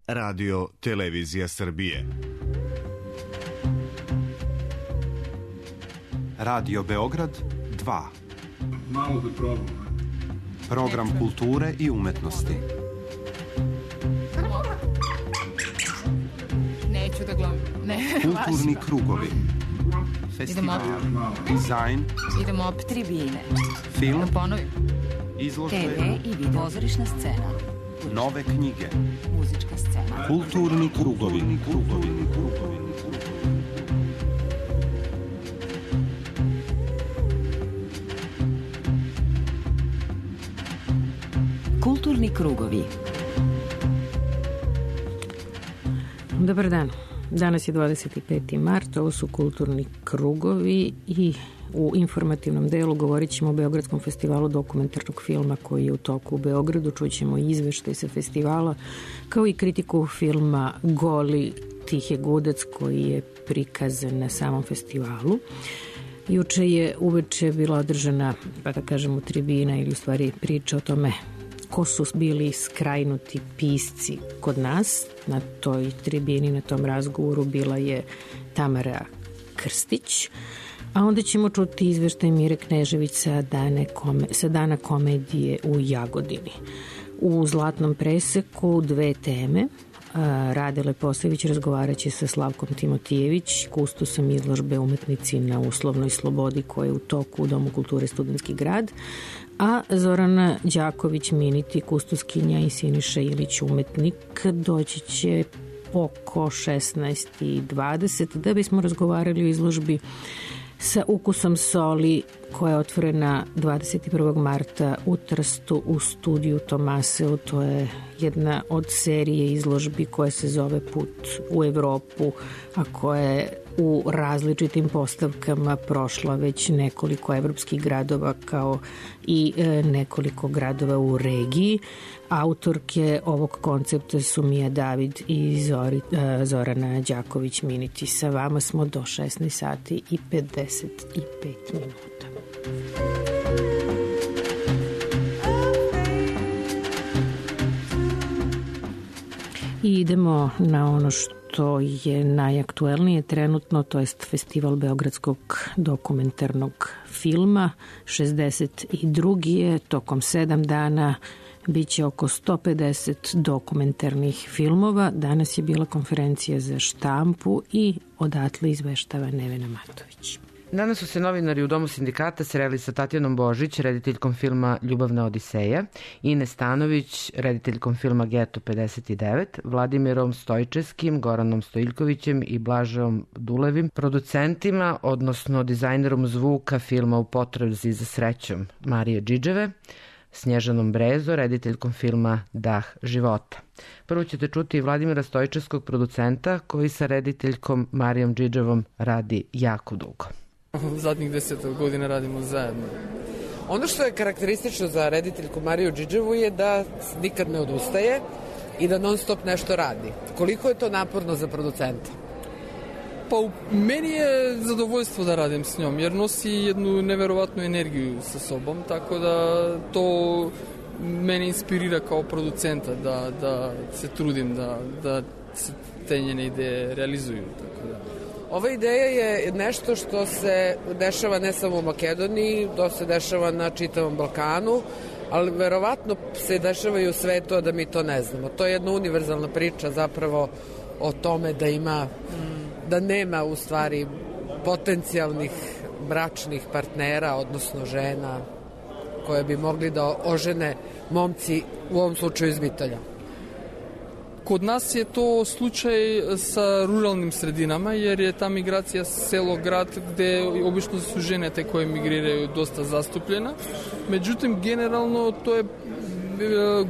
Radio Televizija Srbije. Radio Beograd 2. Malo da probam. Program kulture i umetnosti. Neću da gledam. Kulturni krugovi. Festival. Dizajn. Idemo opet tribine. Film. Da ponovim. Izložbe. TV i video. Pozorišna scena. Nove knjige. Muzička scena. Kulturni krugovi. Kulturni krugovi. Dobar dan. Danas je 25. mart, ovo su kulturni krugovi i u informativnom delu govorit ćemo o Beogradskom festivalu dokumentarnog filma koji je u toku u Beogradu. Čućemo i izveštaj sa festivala, kao i kritiku filma Goli Tihe Gudac koji je prikazan na samom festivalu. Juče je uveče bila održana, pa da kažemo, tribina ili u stvari priča o tome ko su bili skrajnuti pisci kod nas. Na toj tribini, na tom razgovoru bila je Tamara Krstić, a onda ćemo čuti izveštaj Mire Knežević sa dana komedije u Jagodini. U Zlatnom preseku dve teme. Rade Leposević razgovarat će sa Slavkom Timotijević, kustosom izložbe Umetnici na uslovnoj slobodi koja je u toku u Domu kulture Studentski grad, a Zorana Đaković-Miniti, kustoskinja, i Siniša Ilić, umetnik, doći će oko 16:20 da bismo razgovarali o izložbi Sa ukusom soli koja je otvorena 21. marta u Trstu u studiju Tomaseu. To je jedna od serije izložbi koja se zove Put u Evropu, a koja je u različitim postavkama prošla već nekoliko evropskih gradova kao i nekoliko gradova u regiji. Autorke ovog koncepta su Mija David i Zorana Đaković-Miniti. Sa vama smo do 16:55. I idemo na ono što je najaktuelnije trenutno, to jest Festival Beogradskog dokumentarnog filma. 62. je, tokom 7 dana biće oko 150 dokumentarnih filmova. Danas je bila konferencija za štampu i odatle izveštava Nevena Matović. Danas su se novinari u Domu sindikata sreli sa Tatjanom Božić, rediteljkom filma Ljubavna odiseja, Ines Stanović, rediteljkom filma Geto 59, Vladimirom Stojčevskim, Goranom Stojiljkovićem i Blažom Dulevim, producentima, odnosno dizajnerom zvuka filma U potrazi za srećom Marije Džidževe, Snježanom Brezo, rediteljkom filma Dah života. Prvo ćete čuti Vladimira Stojčevskog, producenta, koji sa rediteljkom Marijom Džidževom radi jako dugo. Zadnjih 10 godina radimo zajedno. Ono što je karakteristično za rediteljku Mariju Džidževu je da nikad ne odustaje i da non stop nešto radi. Koliko je to naporno za producenta? Pa meni je zadovoljstvo da radim s njom, jer nosi jednu neverovatnu energiju sa sobom, tako da to mene inspirira kao producenta da se trudim da se te njene ideje realizuju. Tako da. Ova ideja je nešto što se dešava ne samo u Makedoniji, to se dešava na čitavom Balkanu, ali verovatno se dešava i u svetu, a da mi to ne znamo. To je jedna univerzalna priča zapravo o tome da nema u stvari potencijalnih bračnih partnera, odnosno žena koje bi mogli da ožene momci, u ovom slučaju iz Bitolja. Kod nas je to slučaj sa ruralnim sredinama, jer je ta migracija selo-grad gde obično su žene te koje migriraju dosta zastupljena. Međutim, generalno to je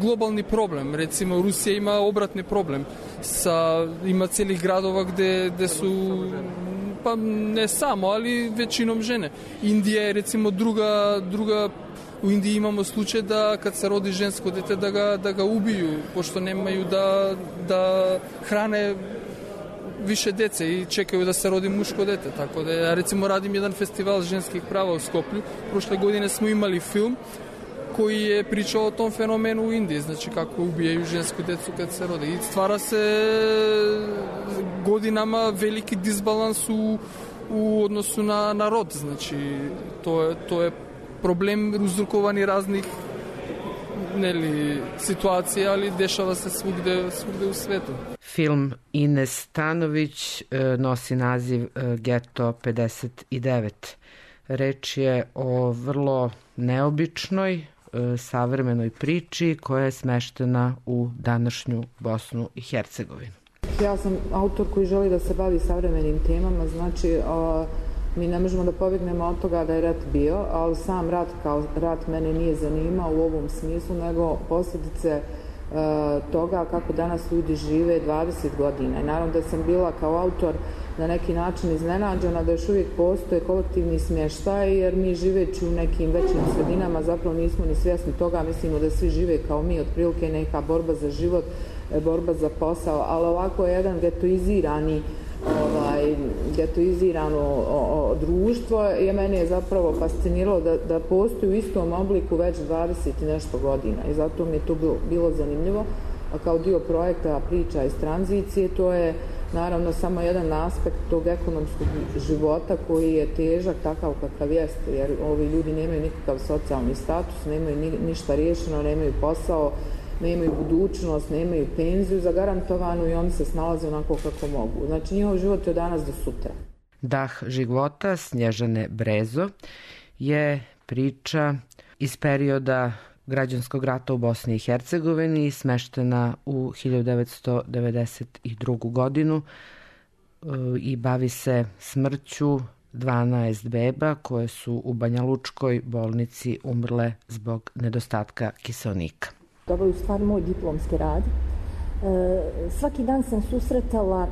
globalni problem. Recimo, Rusija ima obratni problem. Ima cijelih gradova gde su, pa ne samo, ali većinom žene. Indija je recimo druga. U Indiji imamo slučaj da kad se rodi žensko dete da ga ubiju, pošto nemaju da hrane više dece i čekaju da se rodi muško dete. Tako da ja recimo radim jedan festival ženskih prava u Skoplju. Prošle godine smo imali film koji je pričao o tom fenomenu u Indiji, znači kako ubijaju žensku decu kad se rode. I stvara se godinama veliki disbalans u odnosu na rod, znači to je problem uzrokovani raznih situacija, ali dešava se svugde u svetu. Film Ines Stanović nosi naziv Geto 59. Reč je o vrlo neobičnoj, savremenoj priči koja je smeštena u današnju Bosnu i Hercegovinu. Ja sam autor koji želi da se bavi savremenim temama, znači mi ne možemo da pobjegnemo od toga da je rat bio, ali sam rat kao rat mene nije zanimao u ovom smislu, nego posljedice toga kako danas ljudi žive 20 godina. I naravno da sam bila kao autor na neki način iznenađena da još uvijek postoje kolektivni smještaj, jer mi živeći u nekim većim sredinama zapravo nismo ni svjesni toga, mislimo da svi žive kao mi, otprilike neka borba za život, borba za posao, ali ovako je jedan getoizirano društvo je mene zapravo fasciniralo da postoji u istom obliku već 20 i nešto godina i zato mi je to bilo zanimljivo. A kao dio projekta Priča iz tranzicije, to je naravno samo jedan aspekt tog ekonomskog života koji je težak takav kakav jeste, jer ovi ljudi nemaju nikakav socijalni status, nemaju ništa riješeno, nemaju posao, nemaju budućnost, nemaju penziju zagarantovanu i oni se snalaze onako kako mogu. Znači njihov život je od danas do sutra. Dah života Snježane Brezo je priča iz perioda građanskog rata u Bosni i Hercegovini, smeštena u 1992. godinu i bavi se smrću 12 beba koje su u Banja Lučkoj bolnici umrle zbog nedostatka kiseonika. Ovo je u stvari moj diplomski rad. Svaki dan sam susretala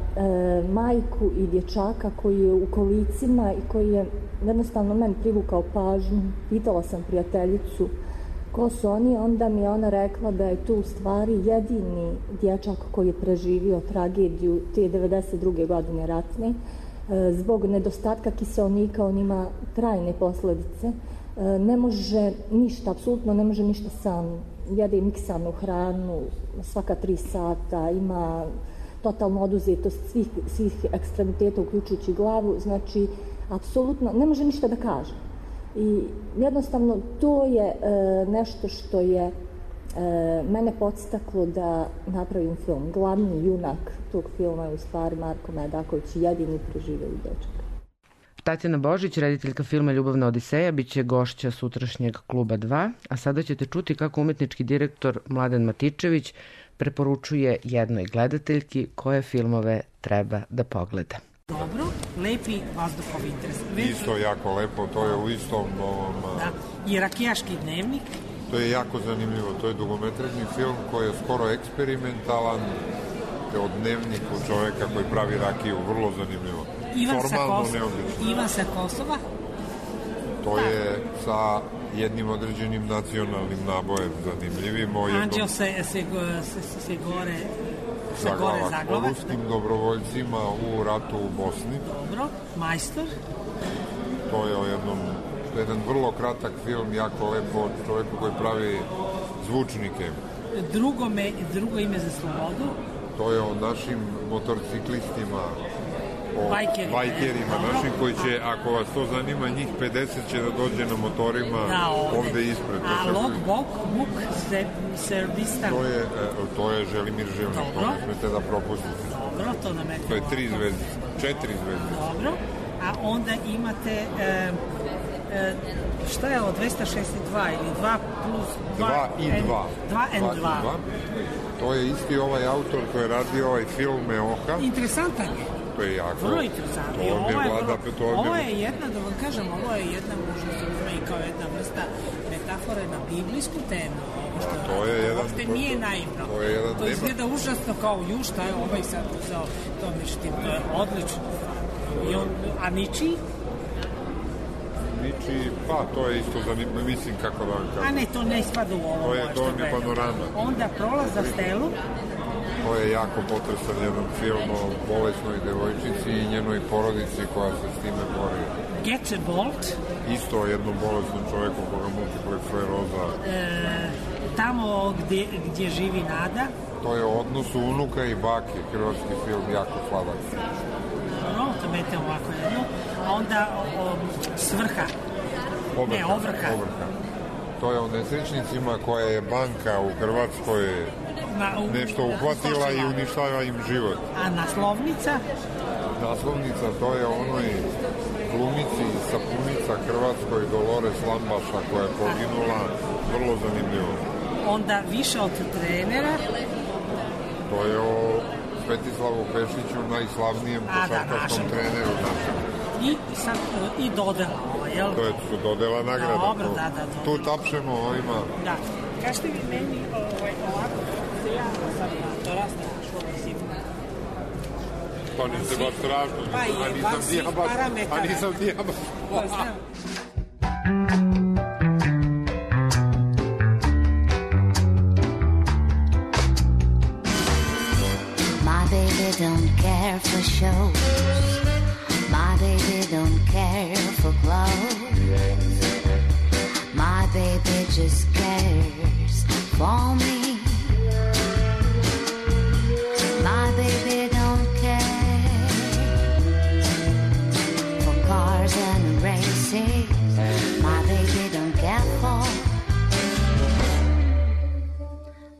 majku i dječaka koji je u kolicima i koji je jednostavno meni privukao pažnju. Pitala sam prijateljicu ko su oni, onda mi je ona rekla da je to u stvari jedini dječak koji je preživio tragediju te 92. godine ratne. Zbog nedostatka kiseonika on ima trajne posljedice. Ne može ništa, apsolutno ne može ništa sam. Jede miksanu hranu svaka 3 sata, ima totalno oduzetost svih ekstremiteta uključujući glavu, znači apsolutno ne može ništa da kaže. I jednostavno to je nešto što je mene podstaklo da napravim film. Glavni junak tog filma je u stvari Marko Medaković, jedini preživeli dečak. Tatjana Božić, rediteljka filma Ljubavna odiseja, bit će gošća sutrašnjeg Kluba 2, a sada ćete čuti kako umetnički direktor Mladen Matičević preporučuje jednoj gledateljki koje filmove treba da pogleda. Dobro, lepi vazduhovi interes. Isto jako lepo, to je u istom ovom... Da, i Rakijaški dnevnik. To je jako zanimljivo, to je dugometražni film koji je skoro eksperimentalan, o dnevniku čoveka koji pravi rakiju, vrlo zanimljivo. Ivan sa Kosova? To je sa jednim određenim nacionalnim nabojem zanimljivim. Anđeo se gore zaglava. O ruskim dobrovoljcima u ratu u Bosni. Dobro, Majstor? To je jedan vrlo kratak film, jako lepo, od čoveka koji pravi zvučnike. Drugo ime za slobodu? To je o našim motorciklistima, o bajkerima našim koji će, ako vas to zanima, njih 50 će da dođe na motorima ovde ispred. A Logbok, Serbistan? To je Želimir Živnik, to ne smete da propustite. Dobro, to nam je. To je 3 zvezdice, 4 zvezdice. Dobro, a onda imate, šta je ovo, 262 ili 2 plus 2 i 2. 2 and 2. To je isti ovaj autor koji je radio ovaj film Meoha. Interesantan je. To je jako. Vrlo interesantno. Ovo je jedna, da vam kažem, ovo je jedna možda se uzme i kao jedna vrsta metafore na biblijsku temu. To je jedan... Uopšte nije naivno. To izgleda užasno kao šta je ovaj sad uzao to, međutim, to je odlično. A Ničiji? Pa, to je isto zanimljivo, mislim kako da vam kažem. A ne, to ne spada u ovo. To je panorama. Onda Prolaz za stelu. To je jako potresan jedan film o bolesnoj devojčici i njenoj porodici koja se s time bori. Get Bolt. Isto o jednom bolesnom čoveku koga multiplex skleroza. Tamo gdje živi Nada. To je o odnosu unuka i bake, hrvatski film, jako sladak. No, to mete ovako jedno. A onda Svrha. Ovrha. To je o nesrećnicima koja je banka u Hrvatskoj nešto uhvatila i uništava im život. A naslovnica? Naslovnica, to je onoj glumici i sapunica Hrvatskoj Dolores Lambaša koja je poginula, vrlo zanimljivo. Onda Više od trenera? To je o Svetislavu Pešiću, najslavnijem košarkaškom treneru našem. I dodela ovo, jel? To je dodela nagrada. Dobro, da. Tu tapšemo ovima. Da. Kažete vi meni ovako, se ja sam to rastraš ovaj sigurno. Pa niste baš strašno, a nisam dijabaš. My baby don't care for shows. My baby don't care for clothes. My baby just cares for me. My baby don't care for cars and races. My baby don't care for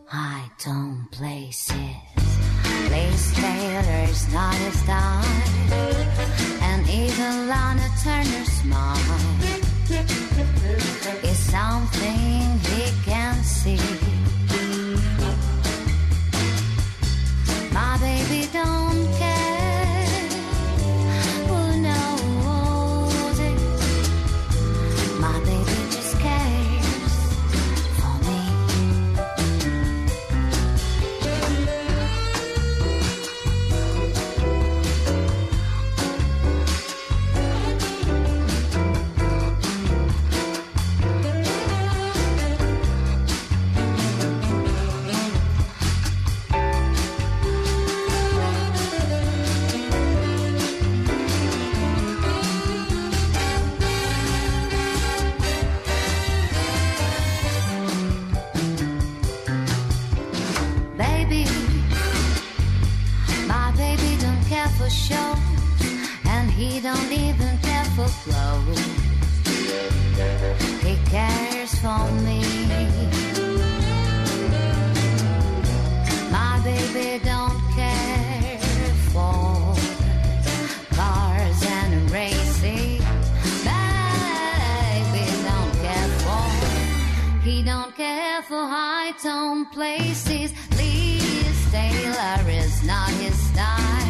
high-tone places. Lace Taylor's not his style, and even Lana Turner's smile is something he can see. My baby don't care who knows it. My baby just cares for me. Show, and he don't even care for clothes. He cares for me. My baby don't care for cars and racing. Baby don't care for. He don't care for high-tone places. Liz Taylor is not his style.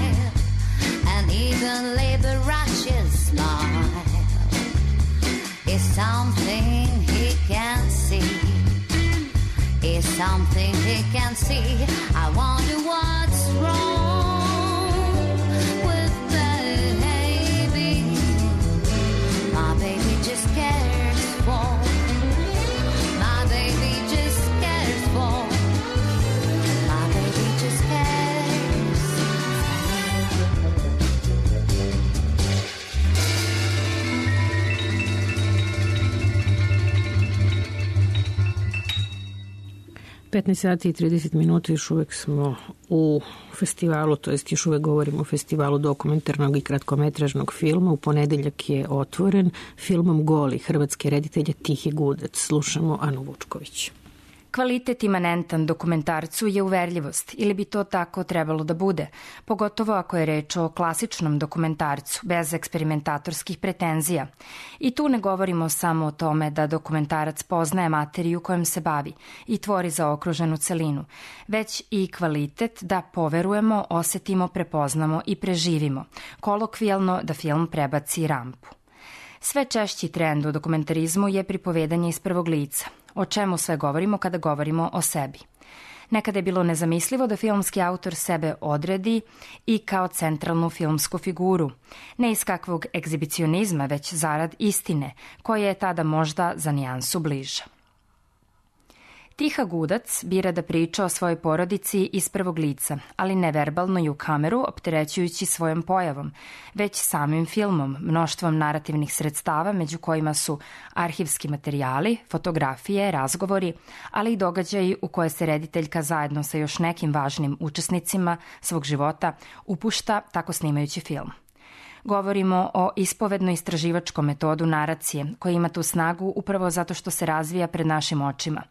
And even Liberace's smile is something he can see. Is something he can see. I wonder what's wrong with baby. My baby just cares for. My baby just cares for. My baby just cares. 15 sati i 30 minuta, još uvek smo u festivalu, to jest još uvek govorimo o festivalu dokumentarnog i kratkometražnog filma. U ponedeljak je otvoren filmom Goli hrvatske reditelje Tihi Gudac. Slušamo Anu Vučković. Kvalitet imanentan dokumentarcu je uverljivost, ili bi to tako trebalo da bude, pogotovo ako je reč o klasičnom dokumentarcu, bez eksperimentatorskih pretenzija. I tu ne govorimo samo o tome da dokumentarac poznaje materiju kojom se bavi i tvori zaokruženu celinu, već i kvalitet da poverujemo, osetimo, prepoznamo i preživimo, kolokvijalno da film prebaci rampu. Sve češći trend u dokumentarizmu je pripovedanje iz prvog lica. O čemu sve govorimo kada govorimo o sebi? Nekada je bilo nezamislivo da filmski autor sebe odredi i kao centralnu filmsku figuru. Ne iz kakvog egzibicionizma, već zarad istine, koja je tada možda za nijansu bliža. Tiha Gudac bira da priča o svojoj porodici iz prvog lica, ali ne verbalno i u kameru, opterećujući svojom pojavom, već samim filmom, mnoštvom narativnih sredstava, među kojima su arhivski materijali, fotografije, razgovori, ali i događaji u koje se rediteljka zajedno sa još nekim važnim učesnicima svog života upušta tako snimajući film. Govorimo o ispovedno-istraživačkom metodu naracije, koja ima tu snagu upravo zato što se razvija pred našim očima.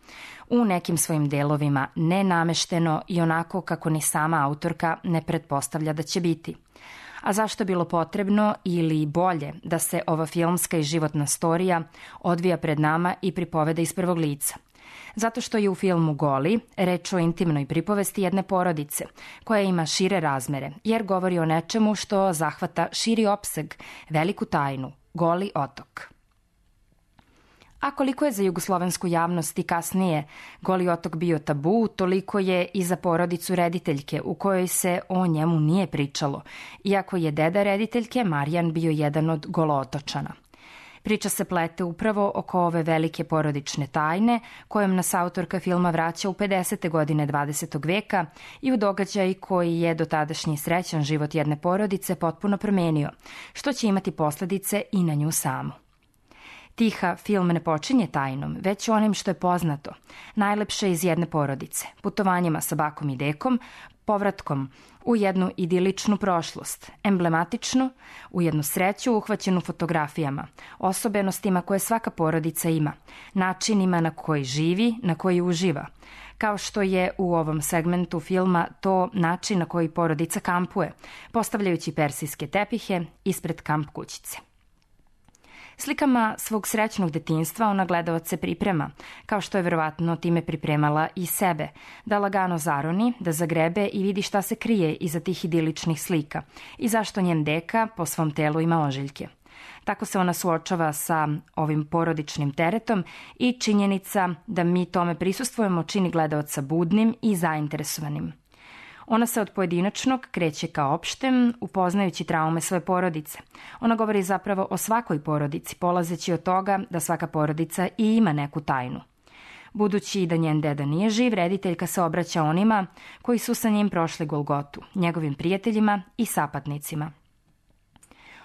U nekim svojim delovima nenamešteno i onako kako ni sama autorka ne pretpostavlja da će biti. A zašto je bilo potrebno ili bolje da se ova filmska i životna storija odvija pred nama i pripoveda iz prvog lica? Zato što je u filmu Goli reč o intimnoj pripovesti jedne porodice, koja ima šire razmere, jer govori o nečemu što zahvata širi opseg, veliku tajnu, Goli otok. A koliko je za jugoslovensku javnost i kasnije Goli otok bio tabu, toliko je i za porodicu rediteljke u kojoj se o njemu nije pričalo, iako je deda rediteljke Marijan bio jedan od golootočana. Priča se plete upravo oko ove velike porodične tajne kojom nas autorka filma vraća u 50. godine 20. veka i u događaj koji je dotadašnji srećan život jedne porodice potpuno promenio, što će imati posledice i na nju samu. Tiha film ne počinje tajnom, već onim što je poznato, najlepše iz jedne porodice, putovanjima sa bakom i dekom, povratkom u jednu idiličnu prošlost, emblematičnu, u jednu sreću uhvaćenu fotografijama, osobenostima koje svaka porodica ima, načinima na koji živi, na koji uživa, kao što je u ovom segmentu filma to način na koji porodica kampuje, postavljajući persijske tepihe ispred kamp kućice. Slikama svog srećnog detinjstva ona gledalac se priprema, kao što je verovatno time pripremala i sebe, da lagano zaroni, da zagrebe i vidi šta se krije iza tih idiličnih slika i zašto njen deka po svom telu ima ožiljke. Tako se ona suočava sa ovim porodičnim teretom i činjenica da mi tome prisustvujemo čini gledalaca budnim i zainteresovanim. Ona se od pojedinačnog kreće ka opštem, upoznajući traume svoje porodice. Ona govori zapravo o svakoj porodici, polazeći od toga da svaka porodica i ima neku tajnu. Budući da njen deda nije živ, rediteljka se obraća onima koji su sa njim prošli Golgotu, njegovim prijateljima i sapatnicima.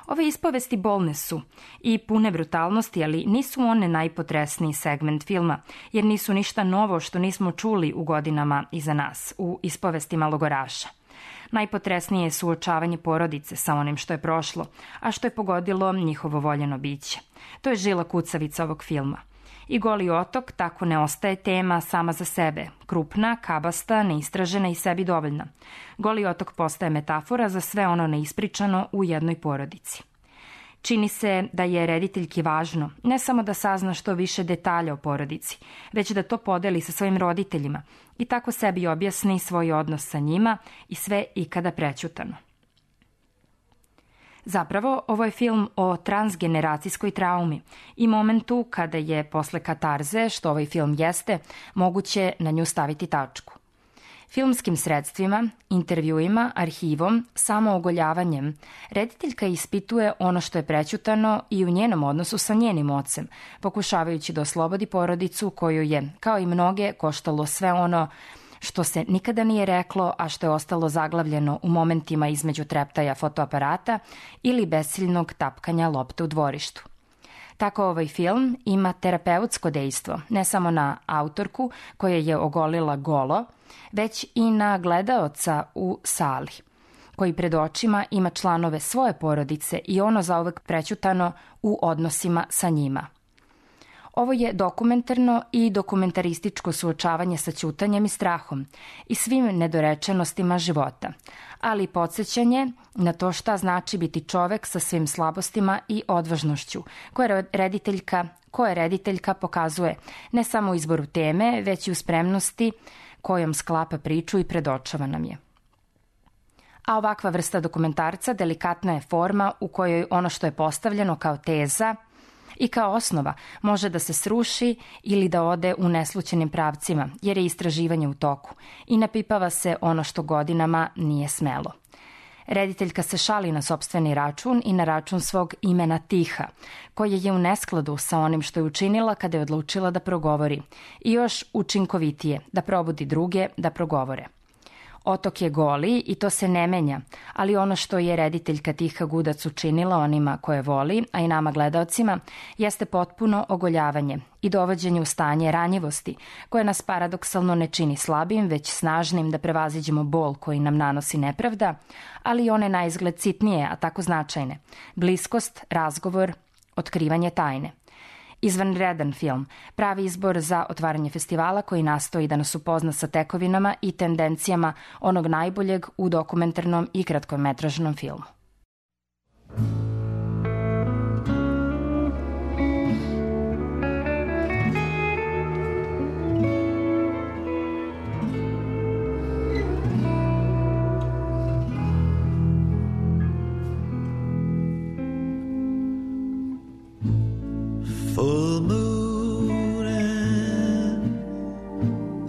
Ove ispovesti bolne su i pune brutalnosti, ali nisu one najpotresniji segment filma, jer nisu ništa novo što nismo čuli u godinama iza nas, u ispovestima logoraša. Najpotresnije je suočavanje porodice sa onim što je prošlo, a što je pogodilo njihovo voljeno biće. To je žila kucavica ovog filma. I Goli otok tako ne ostaje tema sama za sebe, krupna, kabasta, neistražena i sebi dovoljna. Goli otok postaje metafora za sve ono neispričano u jednoj porodici. Čini se da je rediteljki važno ne samo da sazna što više detalja o porodici, već da to podeli sa svojim roditeljima i tako sebi objasni svoj odnos sa njima i sve ikada prećutano. Zapravo, ovo je film o transgeneracijskoj traumi i momentu kada je posle katarze, što ovaj film jeste, moguće na nju staviti tačku. Filmskim sredstvima, intervjuima, arhivom, samoogoljavanjem, rediteljka ispituje ono što je prećutano i u njenom odnosu sa njenim ocem, pokušavajući da oslobodi porodicu koju je, kao i mnoge, koštalo sve ono što se nikada nije reklo, a što je ostalo zaglavljeno u momentima između treptaja fotoaparata ili besiljnog tapkanja lopte u dvorištu. Tako ovaj film ima terapeutsko dejstvo, ne samo na autorku koja je ogolila golo, već i na gledaoca u sali, koji pred očima ima članove svoje porodice i ono zauvek prećutano u odnosima sa njima. Ovo je dokumentarno i dokumentarističko suočavanje sa ćutanjem i strahom i svim nedorečenostima života, ali i podsjećanje na to šta znači biti čovek sa svim slabostima i odvažnošću, koje rediteljka pokazuje ne samo u izboru teme, već i u spremnosti kojom sklapa priču i predočava nam je. A ovakva vrsta dokumentarca delikatna je forma u kojoj ono što je postavljeno kao teza i kao osnova može da se sruši ili da ode u neslućenim pravcima, jer je istraživanje u toku i napipava se ono što godinama nije smelo. Rediteljka se šali na sopstveni račun i na račun svog imena Tiha, koje je u neskladu sa onim što je učinila kada je odlučila da progovori i još učinkovitije, da probudi druge da progovore. Otok je goli i to se ne menja, ali ono što je rediteljka Tiha Gudac učinila onima koje voli, a i nama gledaocima, jeste potpuno ogoljavanje i dovođenje u stanje ranjivosti, koje nas paradoksalno ne čini slabim, već snažnim da prevaziđemo bol koji nam nanosi nepravda, ali i one naizgled sitnije, a tako značajne. Bliskost, razgovor, otkrivanje tajne. Izvanredan film, pravi izbor za otvaranje festivala koji nastoji da nas upozna sa tekovinama i tendencijama onog najboljeg u dokumentarnom i kratkometražnom filmu. Full moon and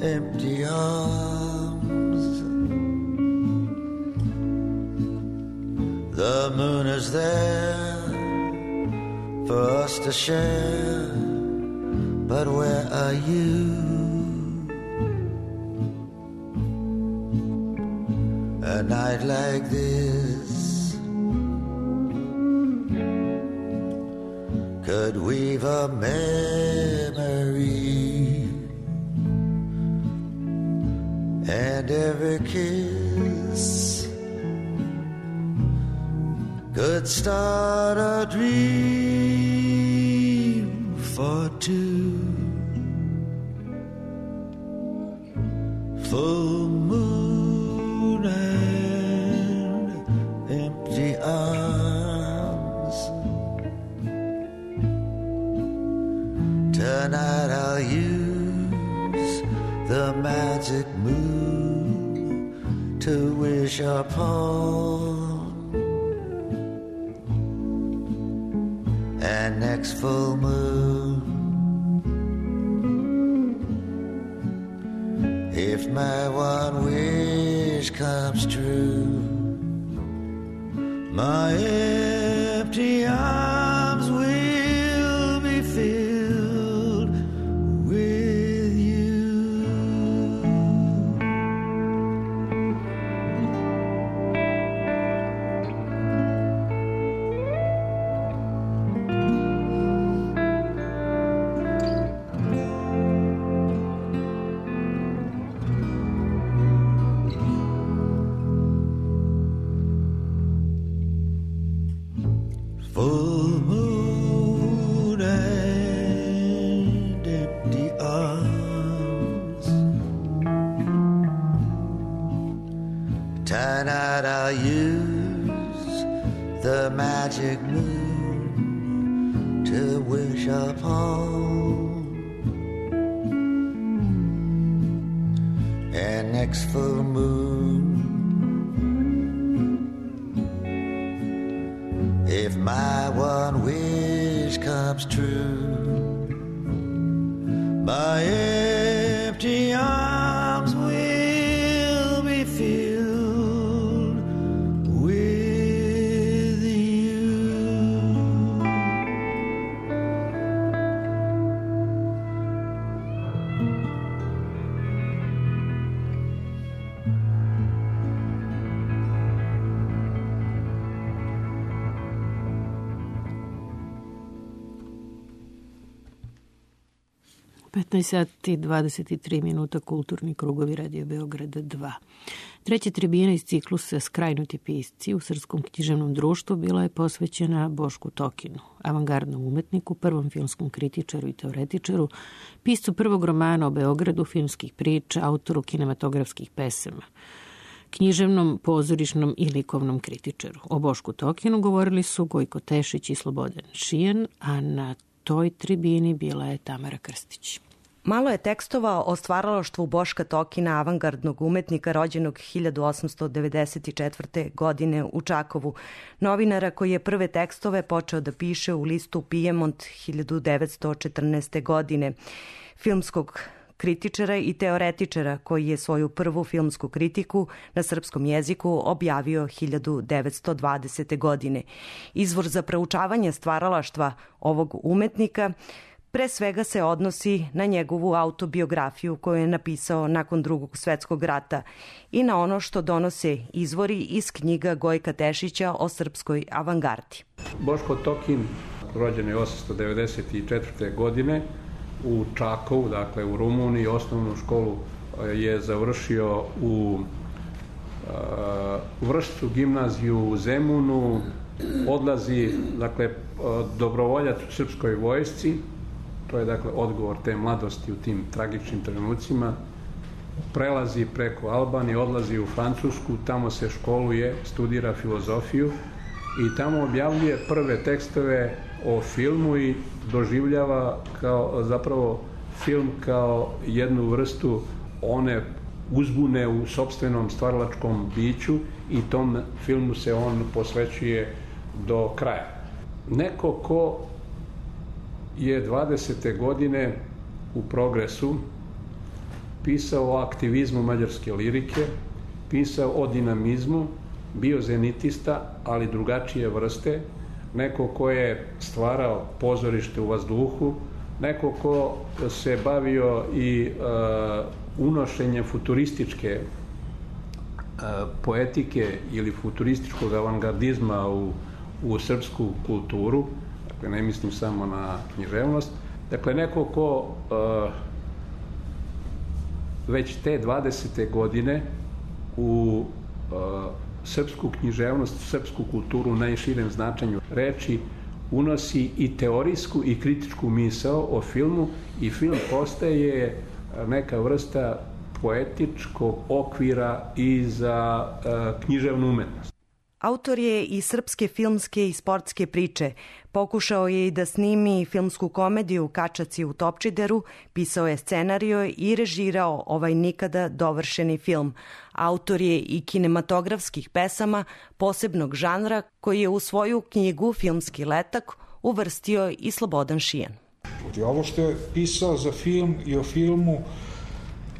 empty arms. The moon is there for us to share, but where are you? A night like this could weave a memory, and every kiss could start a dream for two. Full moon and empty arms. Tonight I'll use the magic moon to wish upon, and next full moon, if my one wish comes true, my empty arms will be filled with you. Full moon and empty arms. Tonight I'll use the magic moon to wish upon, and next full moon, if my one wish comes true, my empty arms will be filled with you. sati 23 minuta, kulturni krugovi Radio Beograd 2. Treća tribina iz ciklusa Skrajnuti pisci u Srpskom književnom društvu bila je posvećena Bošku Tokinu, avangardnom umetniku, prvom filmskom kritičaru i teoretičaru, piscu prvog romana o Beogradu, filmskih priča, autoru kinematografskih pesama, književnom, pozorišnom i likovnom kritičaru. O Bošku Tokinu govorili su Gojko Tešić i Slobodan Šijan, a na toj tribini bila je Tamara Krstić. Malo je tekstova o stvaralaštvu Boška Tokina, avangardnog umetnika rođenog 1894. godine u Čakovu, novinara koji je prve tekstove počeo da piše u listu Pijemont 1914. godine, filmskog kritičara i teoretičara koji je svoju prvu filmsku kritiku na srpskom jeziku objavio 1920. godine. Izvor za proučavanje stvaralaštva ovog umetnika pre svega se odnosi na njegovu autobiografiju koju je napisao nakon Drugog svetskog rata i na ono što donose izvori iz knjiga Gojka Tešića o srpskoj avangardi. Boško Tokin rođen je 1894. godine u Čakovu, dakle u Rumuniji. Osnovnu školu je završio u Vršcu, gimnaziju u Zemunu, odlazi, dakle, dobrovoljac u srpskoj vojsci. To je, dakle, odgovor te mladosti u tim tragičnim trenucima. Prelazi preko Albanije, odlazi u Francusku, tamo se školuje, studira filozofiju i tamo objavljuje prve tekstove o filmu i doživljava kao, zapravo, film kao jednu vrstu one uzbune u sopstvenom stvaralačkom biću i tom filmu se on posvećuje do kraja. Neko ko je 20. godine u Progresu pisao o aktivizmu mađarske lirike, pisao o dinamizmu, bio zenitista, ali drugačije vrste, neko ko je stvarao pozorište u vazduhu, neko ko se bavio i unošenjem futurističke poetike ili futurističkog avangardizma u srpsku kulturu. Dakle, ne mislim samo na književnost. Dakle, neko ko već te 20. godine u srpsku književnost, srpsku kulturu u najširem značenju reči unosi i teorijsku i kritičku misao o filmu i film postaje neka vrsta poetičkog okvira i za književnu umetnost. Autor je i srpske filmske i sportske priče. Pokušao je i da snimi filmsku komediju Kačaci u Topčideru, pisao je scenario i režirao ovaj nikada dovršeni film. Autor je i kinematografskih pesama posebnog žanra koji je u svoju knjigu Filmski letak uvrstio i Slobodan Šijan. Ovo što je pisao za film i o filmu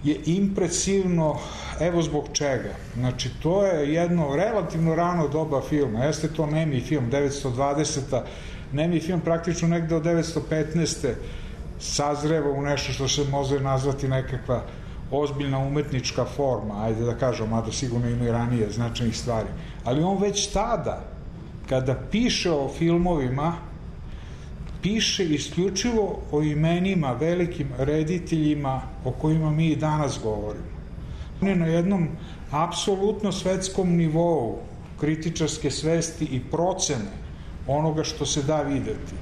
je impresivno, evo zbog čega. Znači, to je jedno relativno rano doba filma. Jeste to nemi film, 920. Nemi film praktično negde od 915. sazreva u nešto što se može nazvati nekakva ozbiljna umetnička forma, ajde da kažem, mada sigurno ima i ranije značajnih stvari. Ali on već tada, kada piše o filmovima, piše isključivo o imenima, velikim rediteljima o kojima mi i danas govorimo. On je na jednom apsolutno svetskom nivou kritičarske svesti i procene onoga što se da videti.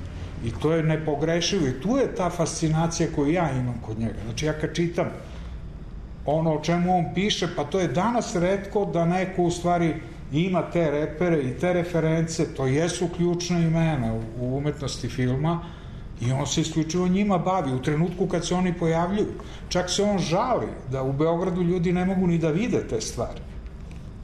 I to je nepogrešivo i tu je ta fascinacija koju ja imam kod njega. Znači, ja kad čitam ono o čemu on piše, pa to je danas retko da neko u stvari ima te repere i te reference, to jesu ključna imena u umetnosti filma i on se isključivo njima bavi u trenutku kad se oni pojavljuju. Čak se on žali da u Beogradu ljudi ne mogu ni da vide te stvari.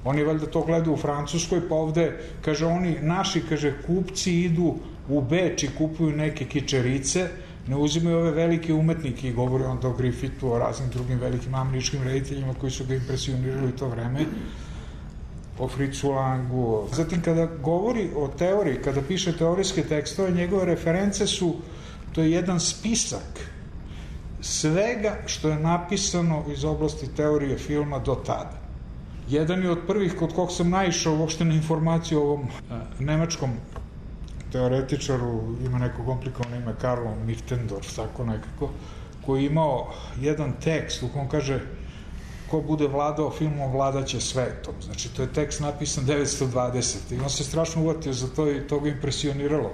Oni valjda to gledaju u Francuskoj, pa ovde, kaže, oni naši, kaže, kupci idu u Beč i kupuju neke kičerice, ne uzimaju ove velike umetnike i govori onda o Griffithu, o raznim drugim velikim američkim rediteljima koji su ga impresionirali u to vreme, o Fritzu Langu. Zatim, kada govori o teoriji, kada piše teorijske tekstove, njegove reference su, to je jedan spisak svega što je napisano iz oblasti teorije filma do tada. Jedan je od prvih kod kog sam naišao uopšte na informaciju o ovom nemačkom teoretičaru, ima neko komplikovano ime, Karlo Michtendorf, tako nekako, koji je imao jedan tekst u kom kaže ko bude vladao filmom, vladaće svetom. Znači, to je tekst napisan 920. I on se strašno uvatio za to i to ga impresioniralo.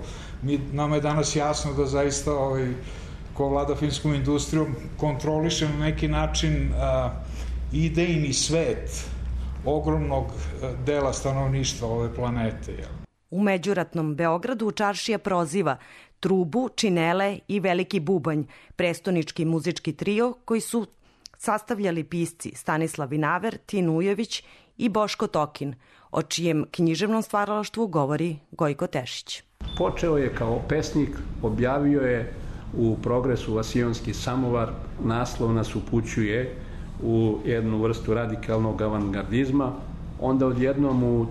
Nama je danas jasno da zaista ko vlada filmskom industrijom kontroliše na neki način idejni svet ogromnog dela stanovništva ove planete. U međuratnom Beogradu čaršija proziva Trubu, Činele i Veliki bubanj, prestonički muzički trio koji su sastavljali pisci Stanislav Vinaver, Tin Ujović i Boško Tokin, o čijem književnom stvaralaštvu govori Gojko Tešić. Počeo je kao pesnik, objavio je u Progresu Vasionski samovar naslov nas upućuje u jednu vrstu radikalnog avangardizma, onda odjednom u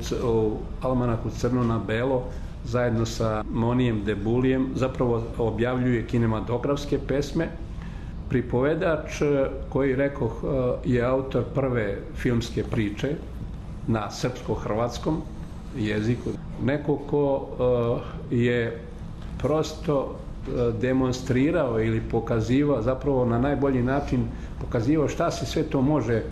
Almanahu Crno na belo zajedno sa Monijem Debulijem zapravo objavljuje kinematografske pesme. Pripovedač koji, rekoh, je autor prve filmske priče na srpsko-hrvatskom jeziku. Neko ko je prosto demonstrirao ili pokazivao, zapravo na najbolji način pokazivao šta se sve to može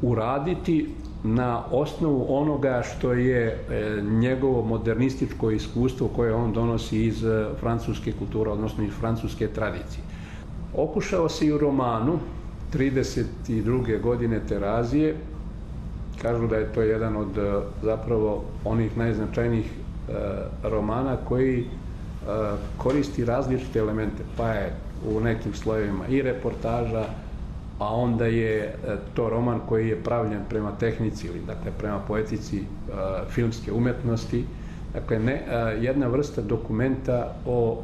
uraditi na osnovu onoga što je njegovo modernističko iskustvo koje on donosi iz francuske kulture, odnosno iz francuske tradicije. Okušao se i u romanu 32. godine Terazije. Kažu da je to jedan od zapravo onih najznačajnijih romana koji koristi različite elemente, pa je u nekim slojevima i reportaža, a onda je to roman koji je pravljen prema tehnici ili dakle prema poetici filmske umetnosti. Dakle, jedna vrsta dokumenta o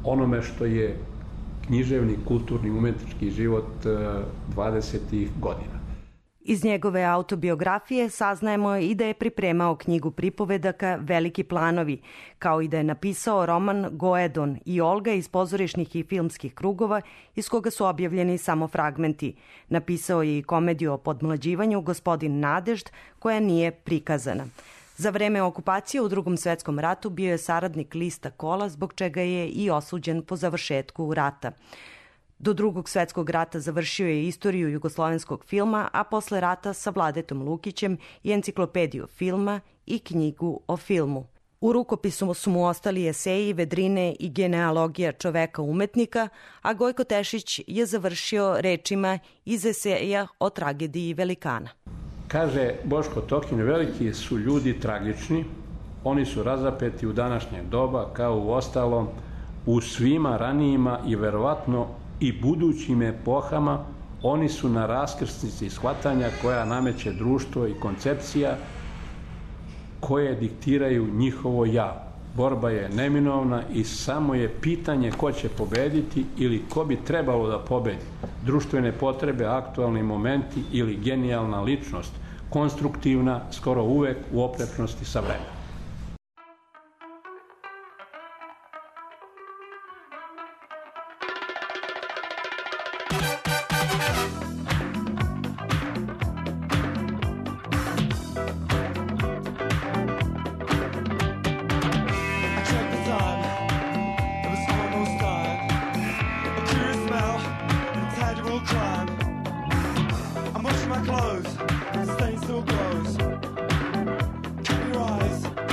onome što je književni, kulturni, umetnički život 20. godina. Iz njegove autobiografije saznajemo i da je pripremao knjigu pripovedaka Veliki planovi, kao i da je napisao roman Goedon i Olga iz pozorišnih i filmskih krugova, iz koga su objavljeni samo fragmenti. Napisao je i komediju o podmlađivanju Gospodin Nadežd, koja nije prikazana. Za vreme okupacije u Drugom svetskom ratu bio je saradnik lista Kola, zbog čega je i osuđen po završetku rata. Do Drugog svetskog rata završio je istoriju jugoslovenskog filma, a posle rata sa Vladetom Lukićem i enciklopediju filma i knjigu o filmu. U rukopisu su mu ostali eseji, vedrine i genealogija čoveka umetnika, a Gojko Tešić je završio rečima iz eseja o tragediji velikana. Kaže Boško Tokin, veliki su ljudi tragični, oni su razapeti u današnje doba, kao u ostalom u svima ranijima i verovatno i budućim epohama. Oni su na raskrsnici shvatanja koja nameće društvo i koncepcija koje diktiraju njihovo ja. Borba je neminovna i samo je pitanje ko će pobediti ili ko bi trebalo da pobedi. Društvene potrebe, aktualni momenti ili genijalna ličnost, konstruktivna skoro uvek u oprečnosti sa vremenom. My clothes, stains still close. Keep your eyes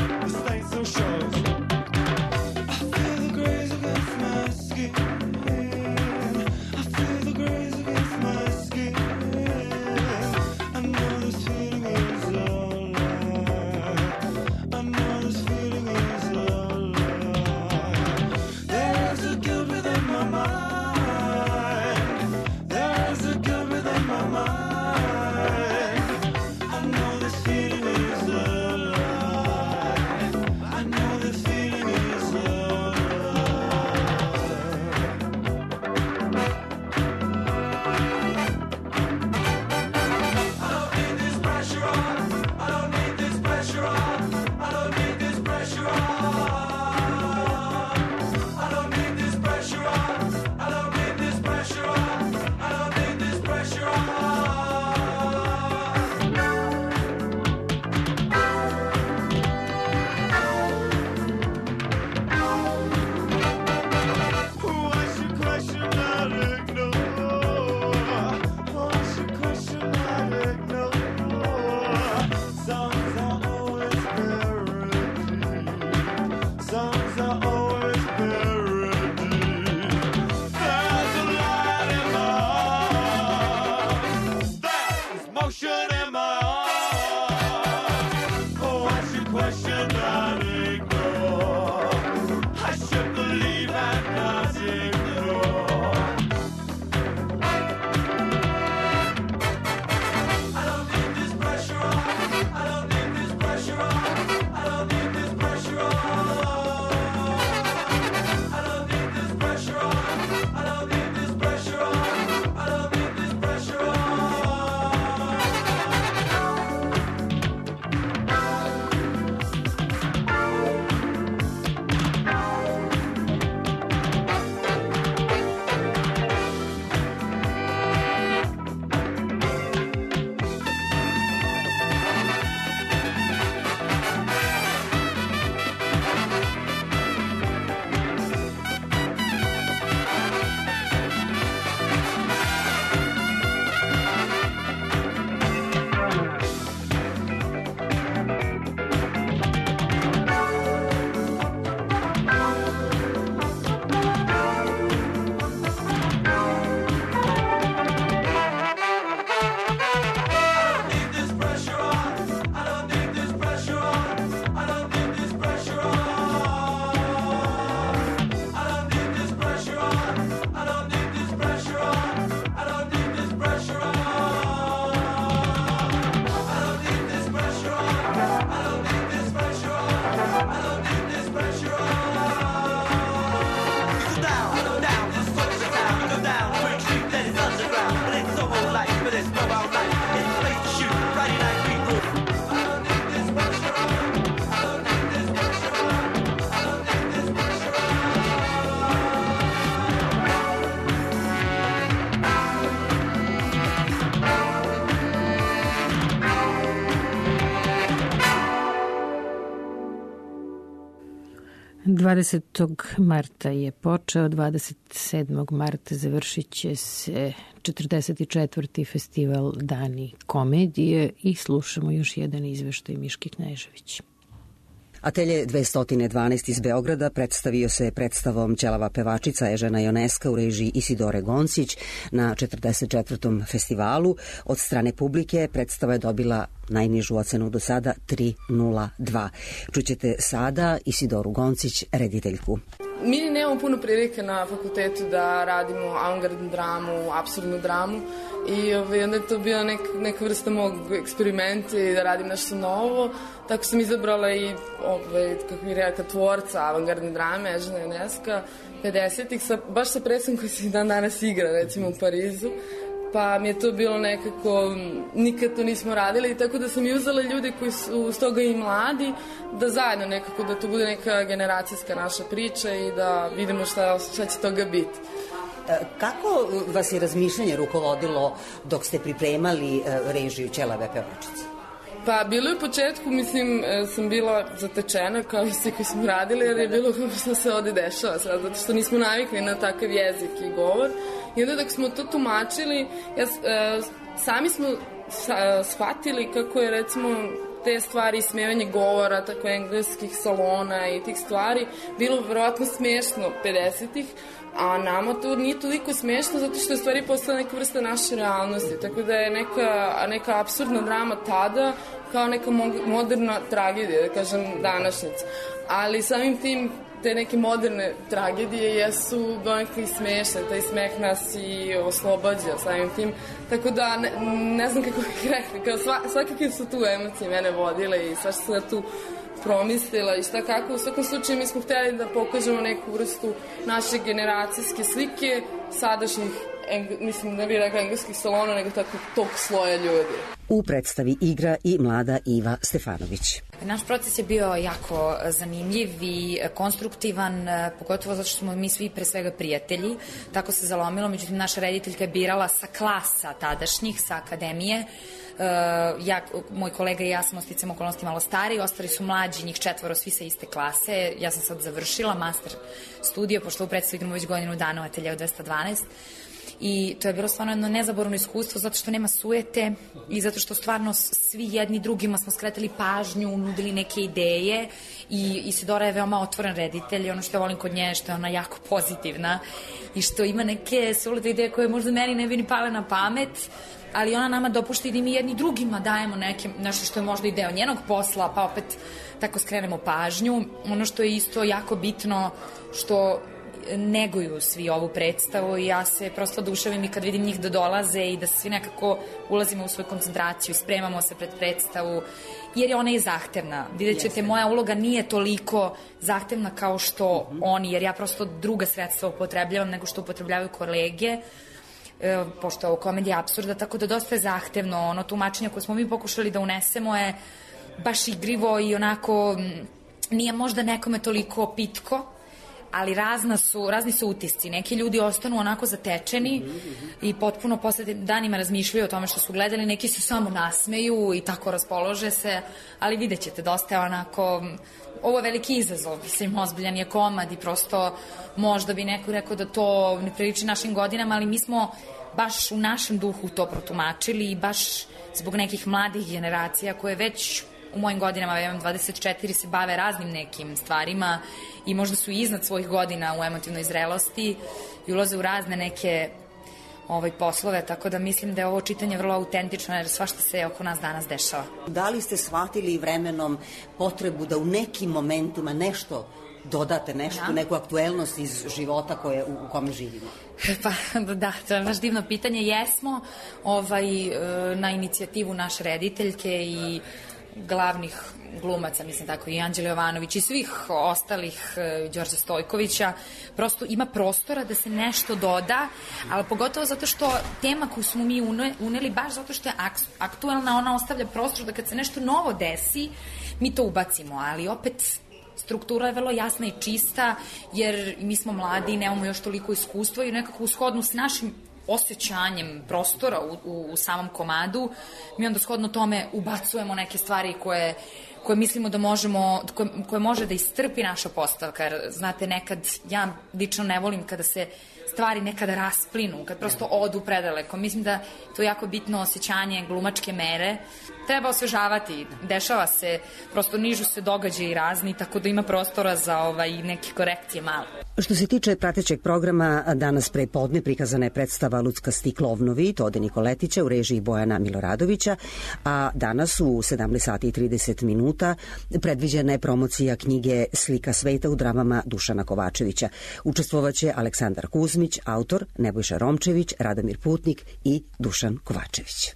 20. marta je počeo, 27. marta završit će se 44. festival Dani komedije i slušamo još jedan izveštaj Miške Knežević. Atelje 212 iz Beograda predstavio se predstavom Ćelava pevačica Ežena Joneska u režiji Isidore Goncić na 44. festivalu. Od strane publike predstava je dobila najnižu ocenu do sada 3.02. Čućete sada Isidoru Goncić, rediteljku. Mi nemamo puno prilike na fakultetu da radimo avangardnu dramu, apsurdnu dramu i onda je to bila neka vrsta mog eksperimenta i da radim nešto novo. Tako sam izabrala i, kako bih rekla, tvorca avangardne drame, Ežena Joneska, 50-ih, baš sa predstavom koji se dan danas igra, recimo u Parizu. Pa mi je to bilo nekako, nikad to nismo radili, tako da sam i uzela ljude koji su s toga i mladi, da zajedno nekako, da to bude neka generacijska naša priča i da vidimo šta će toga biti. Kako vas je razmišljanje rukovodilo dok ste pripremali režiju Ćelave pevačice? Pa bilo je u početku, mislim, sam bila zatečena kao i svi koji smo radili, jer je bilo što se ovde dešava sad, zato što nismo navikli na takav jezik i govor. I onda dok smo to tumačili, sami smo shvatili kako je, recimo, te stvari, smevanje govora, tako engleskih salona i tih stvari, bilo verovatno smešno 50-ih, a nama to nije toliko smešno zato što je stvari postala neka vrsta naše realnosti, tako da je neka apsurdna drama tada kao neka moderna tragedija, da kažem, današnjica. Ali samim tim te neke moderne tragedije jesu donekle i smešne, taj smeh nas i oslobađa samim tim, tako da ne znam kako bih rekla, svakakve su tu emocije mene vodile i svašta sam tu promislila i šta kako. U svakom slučaju mi smo htjeli da pokažemo neku vrstu naše generacijske slike sadašnjih, mislim ne bih rekla engleskih salona, nego tako tog sloja ljudi. U predstavi igra i mlada Iva Stefanović. Naš proces je bio jako zanimljiv i konstruktivan, pogotovo zato što smo mi svi pre svega prijatelji. Tako se zalomilo, međutim naša rediteljka je birala sa klasa tadašnjih, sa akademije. Moj kolega i ja smo sticajem okolnosti malo stariji, ostali su mlađi, njih 4, svi sa iste klase. Ja sam sad završila master studio, pošto u predstavu igramo već godinu dana u Ateljeu 212. I to je bilo stvarno jedno nezaboravno iskustvo zato što nema sujete i zato što stvarno svi jedni drugima smo skretali pažnju, nudili neke ideje i Isidora je veoma otvoren reditelj i ono što ja volim kod nje je što je ona jako pozitivna i što ima neke sulete ideje koje možda meni ne bi ni pale na pamet, ali ona nama dopušta i da mi jedni drugima dajemo nešto što je možda i deo njenog posla, pa opet tako skrenemo pažnju. Ono što je isto jako bitno što neguju svi ovu predstavu i ja se prosto oduševim i kad vidim njih da dolaze i da svi nekako ulazimo u svoju koncentraciju i spremamo se pred predstavu, jer je ona i zahtevna. Vidjet ćete, moja uloga nije toliko zahtevna kao što oni, jer ja prosto druga sredstva upotrebljavam nego što upotrebljavaju kolege, pošto je ovo komedija apsurda, tako da dosta je zahtevno. Ono tumačenje koje smo mi pokušali da unesemo je baš igrivo i onako nije možda nekome toliko pitko, ali razni su utisci. Neki ljudi ostanu onako zatečeni i potpuno posle danima razmišljaju o tome što su gledali, neki se samo nasmeju i tako raspolože se, ali vidjet ćete, dosta je onako, ovo je veliki izazov, mislim, ozbiljan je komad i prosto možda bi neko rekao da to ne priliči našim godinama, ali mi smo baš u našem duhu to protumačili i baš zbog nekih mladih generacija koje već u mojim godinama, ja imam 24, se bave raznim nekim stvarima i možda su iznad svojih godina u emotivnoj zrelosti i ulaze u razne neke poslove, tako da mislim da je ovo čitanje vrlo autentično jer svašta se oko nas danas dešava. Da li ste shvatili vremenom potrebu da u nekim momentima nešto dodate, neku aktuelnost iz života u kome živimo? Pa da, to je baš divno pitanje. Jesmo na inicijativu naše rediteljke i glavnih glumaca, mislim tako, i Anđele Jovanović i svih ostalih, Đorđa Stojkovića, prosto ima prostora da se nešto doda, ali pogotovo zato što tema koju smo mi uneli, baš zato što je aktuelna, ona ostavlja prostor da kad se nešto novo desi, mi to ubacimo, ali opet struktura je vrlo jasna i čista, jer mi smo mladi i nemamo još toliko iskustva i nekako u shodnu s našim osjećanjem prostora u samom komadu, mi onda shodno tome ubacujemo neke stvari koje mislimo da možemo, koje može da istrpi naša postavka. Jer, znate, nekad, ja lično ne volim kada se stvari nekada rasplinu, kad prosto odu predaleko. Mislim da to je jako bitno osjećanje glumačke mere. Treba osvežavati, dešava se, prosto nižu se događaji razni, tako da ima prostora za neke korekcije malo. Što se tiče pratećeg programa, danas pre podne prikazana je predstava Luckasti klovnovi Tode Nikoletića u režiji Bojana Miloradovića, a danas u 17 sati i 30 minuta predviđena je promocija knjige Slika sveta u dramama Dušana Kovačevića. Učestvovaće Aleksandar Kuzmić, autor, Nebojša Romčević, Radomir Putnik i Dušan Kovačević.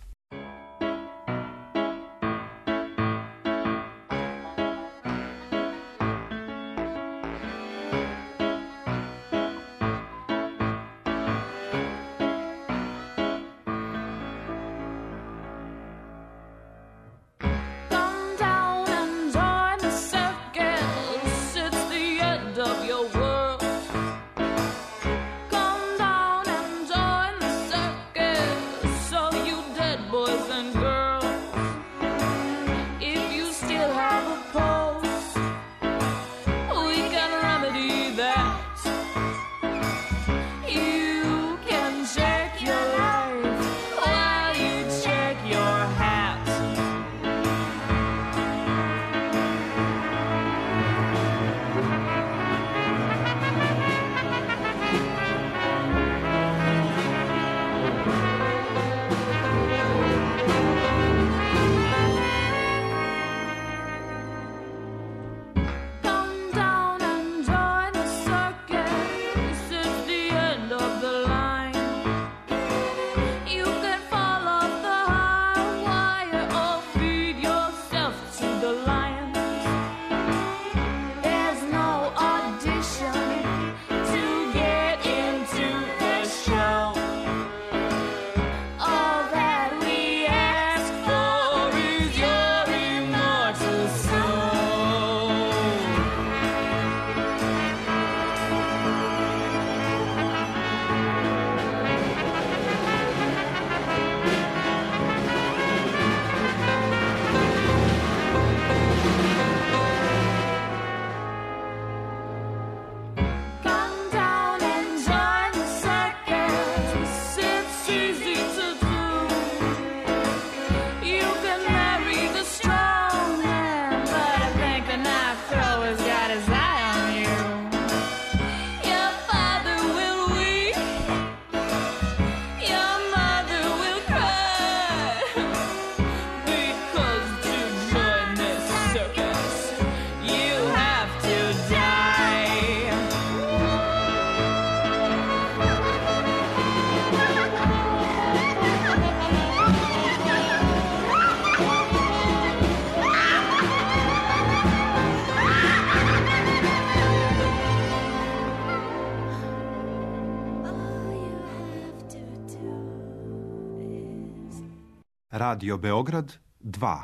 Radio Beograd 2.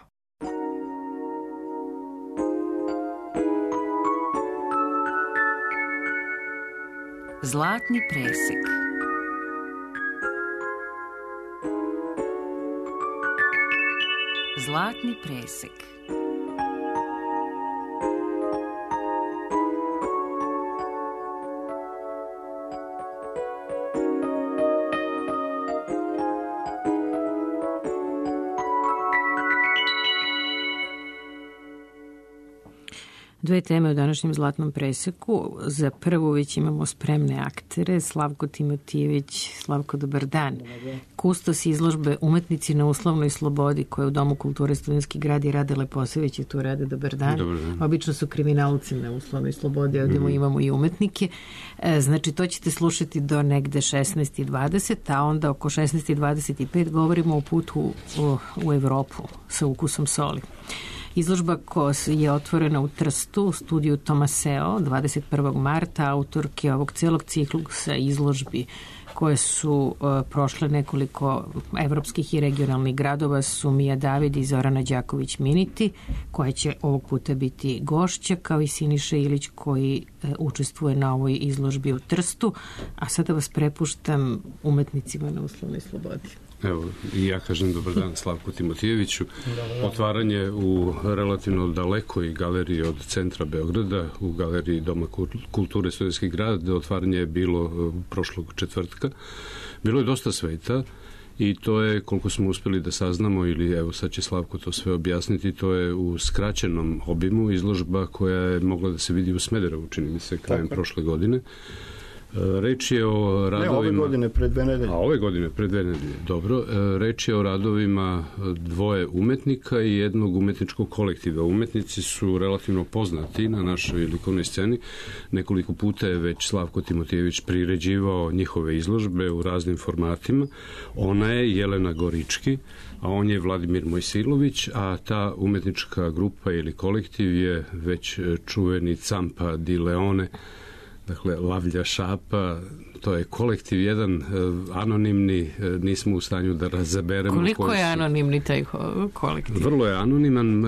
Zlatni presek. Zlatni presek. Dve teme u današnjem Zlatnom preseku. Za prvu već imamo spremne aktere. Slavko Timotijević. Slavko, dobar dan. Kustos izložbe Umetnici na uslovnoj slobodi, koja u Domu kulture Studentski grad i Rade Leposević je tu. Rade, dobar dan. Dobar dan. Obično su kriminalci na uslovnoj slobodi, ovdje imamo i umetnike. Znači, to ćete slušati do negde 16:20, a onda oko 16:25 govorimo o putu u Evropu sa ukusom soli. Izložba koja je otvorena u Trstu u studiju Tomaseo 21. marta, autorke ovog celog ciklusa izložbi koje su prošle nekoliko evropskih i regionalnih gradova su Mija David i Zorana Đaković-Miniti, koja će ovog puta biti gošća, kao i Siniša Ilić koji učestvuje na ovoj izložbi u Trstu. A sada vas prepuštam Umetnicima na uslovnoj slobodi. Evo, i ja kažem dobar dan Slavku Timotijeviću. Otvaranje u relativno dalekoj galeriji od centra Beograda, u galeriji Doma kulture Studentski grad. Otvaranje je bilo prošlog četvrtka. Bilo je dosta sveta i to je, koliko smo uspeli da saznamo, ili evo sad će Slavko to sve objasniti, to je u skraćenom obimu izložba koja je mogla da se vidi u Smederevu, čini mi se, krajem prošle godine. Reč je o radovima... Ne, ove godine pred 2 nedelje. A ove godine pred 2 nedelje, dobro. Reč je o radovima 2 umetnika i jednog umetničkog kolektiva. Umetnici su relativno poznati na našoj likovnoj sceni. Nekoliko puta je već Slavko Timotijević priređivao njihove izložbe u raznim formatima. Ona je Jelena Gorički, a on je Vladimir Mojsilović, a ta umetnička grupa ili kolektiv je već čuveni Campa di Leone, dakle, Lavlja šapa. To je kolektiv jedan anonimni, nismo u stanju da razaberemo. Koliko je anonimni taj kolektiv? Vrlo je anoniman,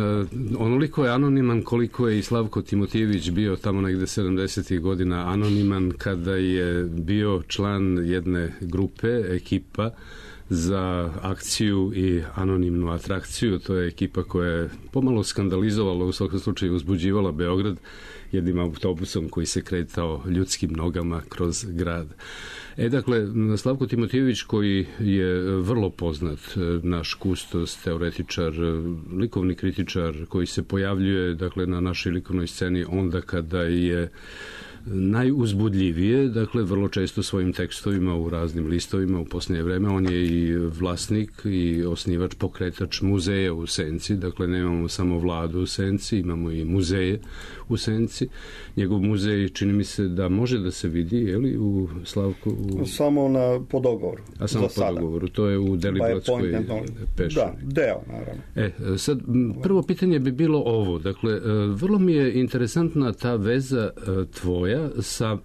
onoliko je anoniman koliko je i Slavko Timotijević bio tamo negde 70. godina anoniman kada je bio član jedne grupe, ekipa za akciju i anonimnu atrakciju. To je ekipa koja je pomalo skandalizovala, u svakom slučaju uzbuđivala Beograd jednim autobusom koji se kretao ljudskim nogama kroz grad. Dakle, Slavko Timotijević, koji je vrlo poznat, naš kustos, teoretičar, likovni kritičar, koji se pojavljuje, dakle, na našoj likovnoj sceni onda kada je najuzbudljivije, dakle, vrlo često svojim tekstovima u raznim listovima u posljednje vreme. On je i vlasnik i osnivač, pokretač muzeja u Senci, dakle, nemamo samo Vladu u Senci, imamo i muzeje u Senci. Njegov muzej, čini mi se da može da se vidi, je li, u Slavku? Samo po dogovoru. A samo po dogovoru, to je u Deliblatskoj pešeri. Da, deo, naravno. Sad, prvo pitanje bi bilo ovo, dakle, vrlo mi je interesantna ta veza tvoja sa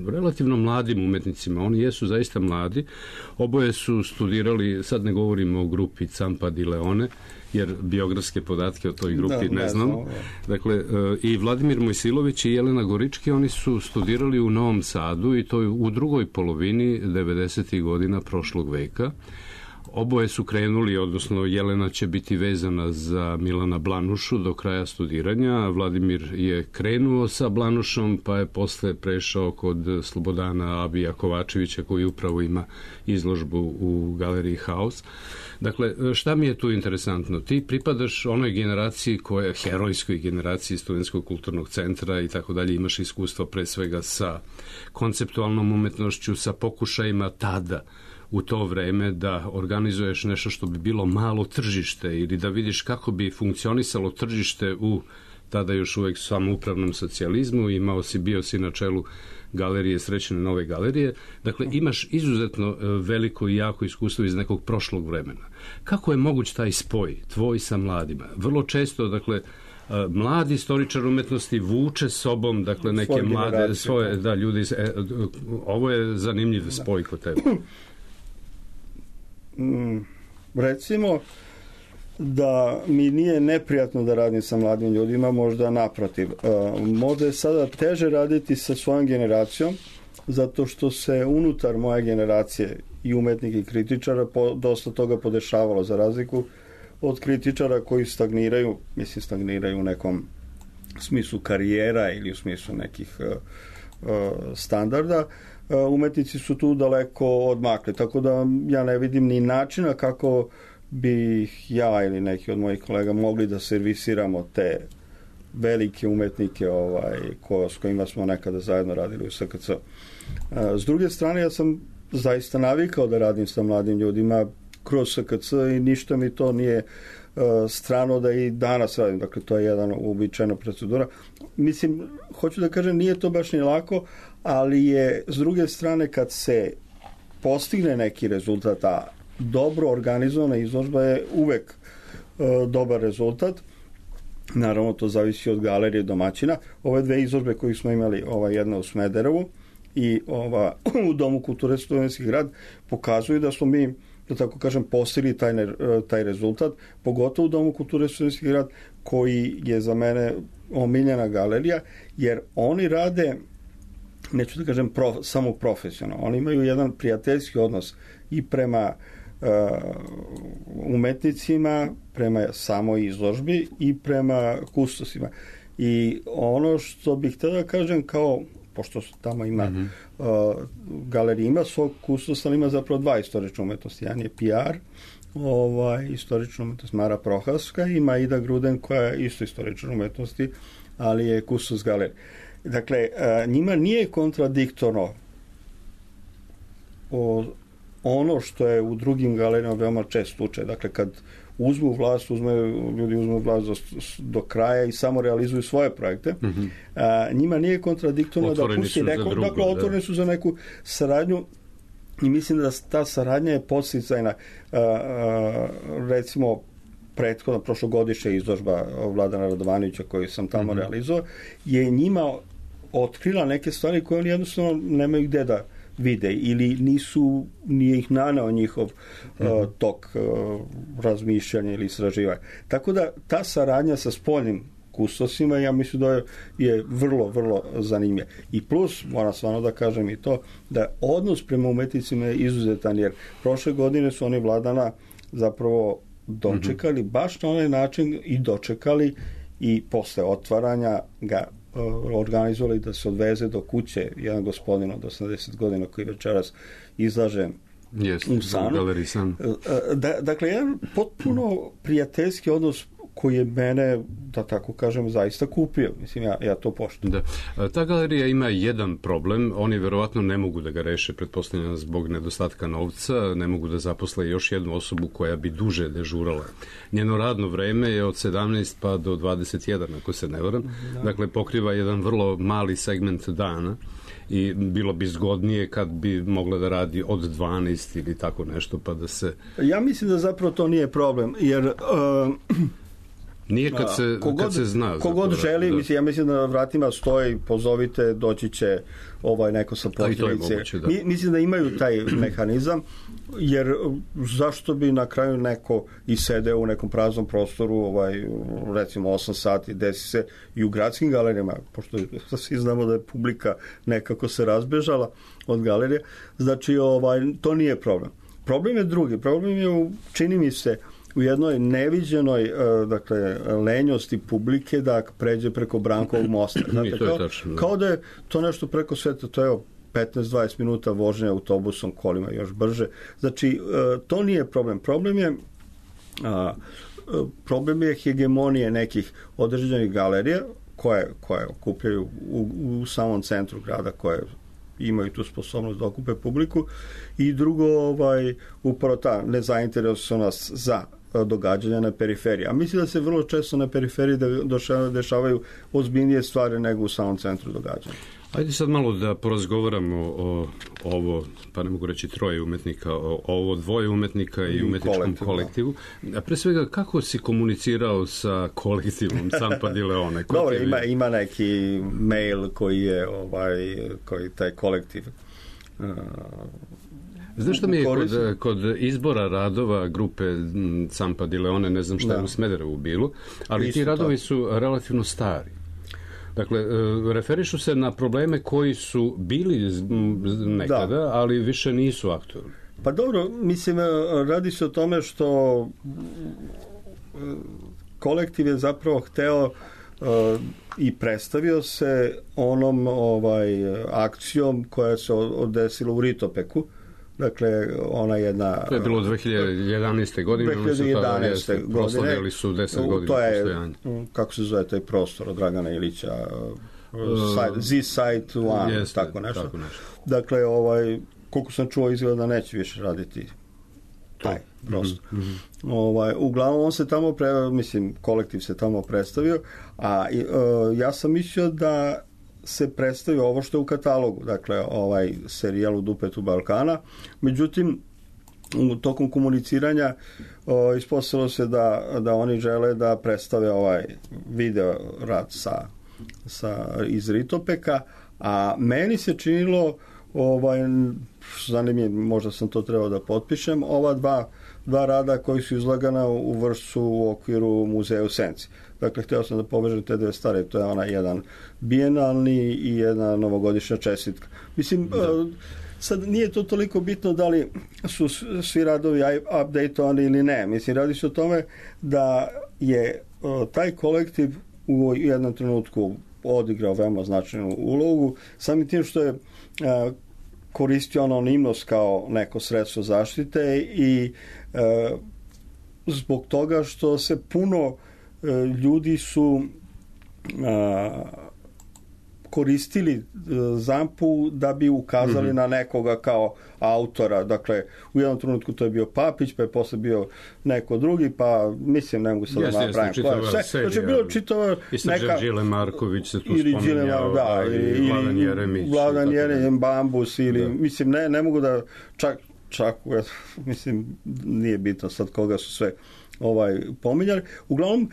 relativno mladim umetnicima. Oni jesu zaista mladi. Oboje su studirali, sad ne govorimo o grupi Campa di Leone, jer biografske podatke o toj grupi ne znamo. Dakle, i Vladimir Mojsilović i Jelena Gorički, oni su studirali u Novom Sadu i to u drugoj polovini 90. godina prošlog veka. Oboje su krenuli, odnosno Jelena će biti vezana za Milana Blanušu do kraja studiranja, a Vladimir je krenuo sa Blanušom, pa je posle prešao kod Slobodana Abija Kovačevića, koji upravo ima izložbu u galeriji Haus. Dakle, šta mi je tu interesantno? Ti pripadaš onoj generaciji koja je herojskoj generaciji Studentskog kulturnog centra i tako dalje, imaš iskustvo pre svega sa konceptualnom umetnošću, sa pokušajima tada u to vreme da organizuješ nešto što bi bilo malo tržište ili da vidiš kako bi funkcionisalo tržište u tada još uvek samoupravnom socijalizmu. Bio si na čelu galerije, Srećne nove galerije. Dakle, imaš izuzetno veliko i jako iskustvo iz nekog prošlog vremena. Kako je moguć taj spoj tvoj sa mladima? Vrlo često, dakle, mladi istoričar umetnosti vuče sobom, dakle, neke mlade svoje ljudi. Ovo je zanimljiv spoj kod tebe. Recimo da mi nije neprijatno da radim sa mladim ljudima, možda naprotiv. Možda je sada teže raditi sa svojom generacijom, zato što se unutar moje generacije i umetnika i kritičara dosta toga podešavalo, za razliku od kritičara koji stagniraju u nekom smislu karijera ili u smislu nekih standarda. Umetnici su tu daleko odmakli, tako da ja ne vidim ni načina kako bi ja ili neki od mojih kolega mogli da servisiramo te velike umetnike s kojima smo nekada zajedno radili u SKC. S druge strane, ja sam zaista navikao da radim sa mladim ljudima kroz SKC i ništa mi to nije strano da i danas radim. Dakle, to je jedna uobičajena procedura. Mislim, hoću da kažem, nije to baš ni lako, ali je, s druge strane, kad se postigne neki rezultat, a dobro organizovana izložba je uvek dobar rezultat. Naravno, to zavisi od galerije domaćina. Ove 2 izložbe koje smo imali, jedna u Smederevu i u Domu kulture Studentski grad, pokazuju da smo mi, da tako kažem, postigli taj rezultat, pogotovo u Domu kulture Studentski grad, koji je za mene omiljena galerija, jer oni rade, neću da kažem samo profesionalno, oni imaju jedan prijateljski odnos i prema umetnicima, prema samoj izložbi i prema kustosima. I ono što bih htio da kažem, kao pošto tamo ima galerija ima svog kustosa, ali ima zapravo dva istorične umetnosti. Jedan je PR, istorična umetnost Mara Prohaska, ima Ida Gruden koja je isto istorična umetnosti, ali je kustos galerije. Dakle, njima nije kontradiktorno ono što je u drugim galerijama veoma čest slučaj. Dakle, kad uzmu vlast, ljudi uzmu vlast do kraja i samo realizuju svoje projekte. Njima nije kontradiktorno da pusti neko, dakle, otvoreni su za neku saradnju i mislim da ta saradnja je podsticajna. Recimo, prethodna prošlogodišnja izložba Vladana Radovanovića koju sam tamo realizovao, je njima otkrila neke stvari koje oni jednostavno nemaju gde da vide ili nije ih naneo njihov tok razmišljanja ili istraživanja. Tako da ta saradnja sa spoljnim kustosima, ja mislim da je vrlo, vrlo zanimljiva. I plus, moram stvarno da kažem i to, da odnos prema umetnicima je izuzetan, jer prošle godine su oni Vladana zapravo dočekali baš na onaj način i dočekali i posle otvaranja ga organizovali da se odveze do kuće jedan gospodin od 80 godina koji večeras izlaže u Sanu. Dakle, jedan potpuno prijateljski odnos koji je mene, da tako kažem, zaista kupio. Mislim, ja to poštujem. Da. Ta galerija ima jedan problem. Oni verovatno ne mogu da ga reše, pretpostavljam zbog nedostatka novca, ne mogu da zaposle još jednu osobu koja bi duže dežurala. Njeno radno vreme je od 17 pa do 21, ako se ne varam. Dakle, pokriva jedan vrlo mali segment dana i bilo bi zgodnije kad bi mogla da radi od 12 ili tako nešto, pa da se... Ja mislim da zapravo to nije problem, jer... Nije kad se zna. Kogod želi, ja mislim da na vratima stoji, pozovite, doći će neko sa posljedice. Mislim da imaju taj mehanizam, jer zašto bi na kraju neko i sedeo u nekom praznom prostoru, recimo 8 sati, desi se i u gradskim galerijama, pošto svi znamo da je publika nekako se razbežala od galerije, znači to nije problem. Problem je drugi, problem je, čini mi se, u jednoj neviđenoj lenjosti publike da pređe preko Brankovog mosta. Znate, kao da je to nešto preko sveta, to je 15-20 minuta vožnje autobusom, kolima još brže. Znači, to nije problem. Problem je hegemonije nekih određenih galerija koje okupljaju u samom centru grada, koje imaju tu sposobnost da okupe publiku, i drugo, upravo ta nezainteresovanost za događanja na periferiji. A mislim da se vrlo često na periferiji dešavaju ozbiljnije stvari nego u samom centru događanja. Ajde sad malo da porazgovaramo o ovo, pa ne mogu reći troje umetnika, o ovo dvoje umetnika i umetničkom kolektivu. A pre svega, kako si komunicirao sa kolektivom Zampa di Leone? Dobro, ima neki mail koji je koji taj kolektiv Znaš što mi je kod izbora radova grupe Zampa di Leone, ne znam šta je u Smederevu bilo, ali ti radovi su relativno stari. Dakle, referišu se na probleme koji su bili nekada, ali više nisu aktualni. Pa dobro, mislim, radi se o tome što kolektiv je zapravo hteo i predstavio se onom akcijom koja se odesila u Ritopeku. Dakle, ona jedna... To je bilo 2011. godine. 2011. godine. Proslavljali su 10 godina postojanja. Kako se zove taj prostor od Dragana Ilića? Z-Site 1, tako nešto. Dakle, koliko sam čuo, izgleda da neće više raditi taj prostor. Uglavnom, on se tamo, kolektiv se tamo predstavio, a ja sam mislio da se predstavio ovo što je u katalogu, dakle serijal U dupetu Balkana. Međutim, tokom komuniciranja ispostavilo se da oni žele da predstave video rad iz Ritopeka, a meni se činilo zanimljivo, možda sam to trebao da potpišem, ova dva rada koji su izlagana u Vršcu u okviru muzeja u Senci. Dakle, htio sam da povežem te dve stvari, to je jedan bijenalni i jedna novogodišnja čestitka. Mislim, Sad nije to toliko bitno da li su svi radovi updateovani ili ne. Mislim, radi se o tome da je taj kolektiv u jednom trenutku odigrao veoma značajnu ulogu, samim tim što je koristio anonimnost kao neko sredstvo zaštite i zbog toga što se puno ljudi su koristili Zampu da bi ukazali na nekoga kao autora. Dakle, u jednom trenutku to je bio Papić, pa je posle bio neko drugi, pa mislim, ne mogu sad da napravim. Znači, bilo čitava neka... Đile Marković se tu spominjao, ili Vladan Jeremić. Vladan Jeremić, Bambus, ili, mislim, ne mogu da čak, mislim, nije bitno sad koga su sve pominjali. Uglavnom,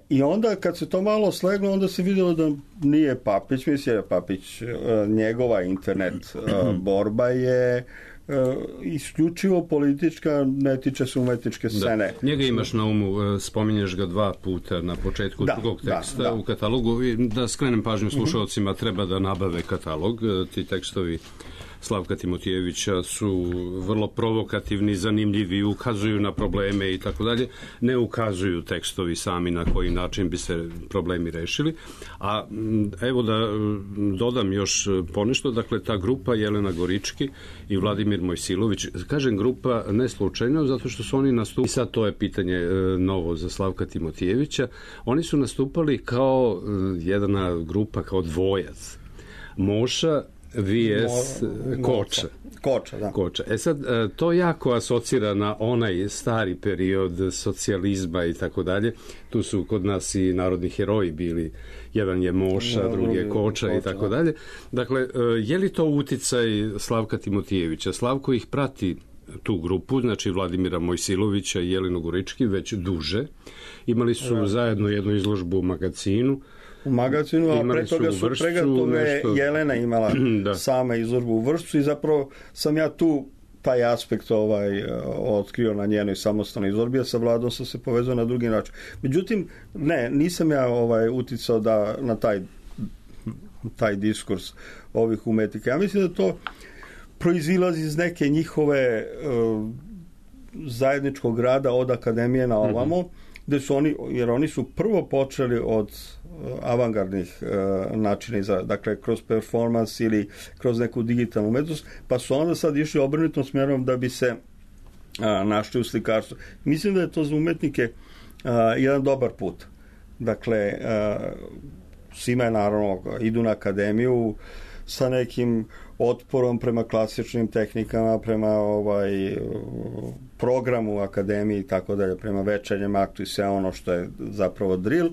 i onda kad se to malo sleglo, onda se vidjelo da nije Papić, mislim je Papić, njegova internet borba je isključivo politička, ne tiče se umetničke scene. Da. Njega imaš na umu, spominješ ga 2 puta na početku drugog teksta u katalogu. Da skrenem pažnju slušalcima, treba da nabave katalog. Ti tekstovi Slavka Timotijevića su vrlo provokativni, zanimljivi, ukazuju na probleme i tako dalje. Ne ukazuju tekstovi sami na koji način bi se problemi rešili. A evo da dodam još ponešto, dakle ta grupa Jelena Gorički i Vladimir Mojsilović, kažem grupa ne slučajno, zato što su oni nastupali, i sad to je pitanje novo za Slavka Timotijevića, oni su nastupali kao jedna grupa, kao dvojac. Moša vs. Koča. Koča. Sad, to jako asocira na onaj stari period socijalizma i tako dalje. Tu su kod nas i narodni heroji bili. Jedan je Moša, drugi je Koča i tako dalje. Dakle, je li to uticaj Slavka Timotijevića? Slavko ih prati, tu grupu, znači Vladimira Mojsilovića i Jelenu Gorički, već duže. Imali su zajedno jednu izložbu u magazinu, a pre toga su Jelena imala sama izložbu u Vršcu i zapravo sam ja tu taj aspekt otkrio na njenoj samostalnoj izložbi, a sa Vladom sam se povezao na drugi način. Međutim, nisam ja uticao na taj diskurs ovih umetnika. Ja mislim da to proizilazi iz neke njihove zajedničkog rada od akademije na ovamo, gde su jer oni su prvo počeli od avangardnih načina, dakle kroz performans ili kroz neku digitalnu umetnost, pa su onda sad išli obrnutom smjerom da bi se našli u slikarstvu. Mislim da je to za umetnike jedan dobar put. Dakle, svima je naravno, idu na akademiju sa nekim otporom prema klasičnim tehnikama, prema programu u akademiji i tako dalje, prema večernjem aktu i sve ono što je zapravo drill,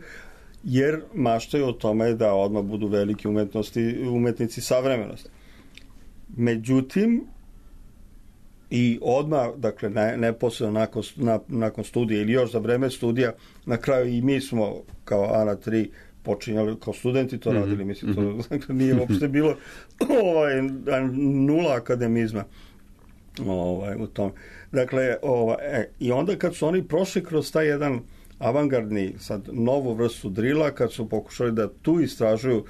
jer maštaju o tome da odmah budu veliki umetnici savremenosti. Međutim, i odmah, dakle, neposredno nakon studija ili još za vreme studija, na kraju i mi smo kao Ana 3 počinjali, kao studenti to radili, mislim, to nije uopšte bilo nula akademizma u tom. Dakle, i onda kad su oni prošli kroz taj jedan avangardni, sad novu vrstu drila, kad su pokušali da tu istražuju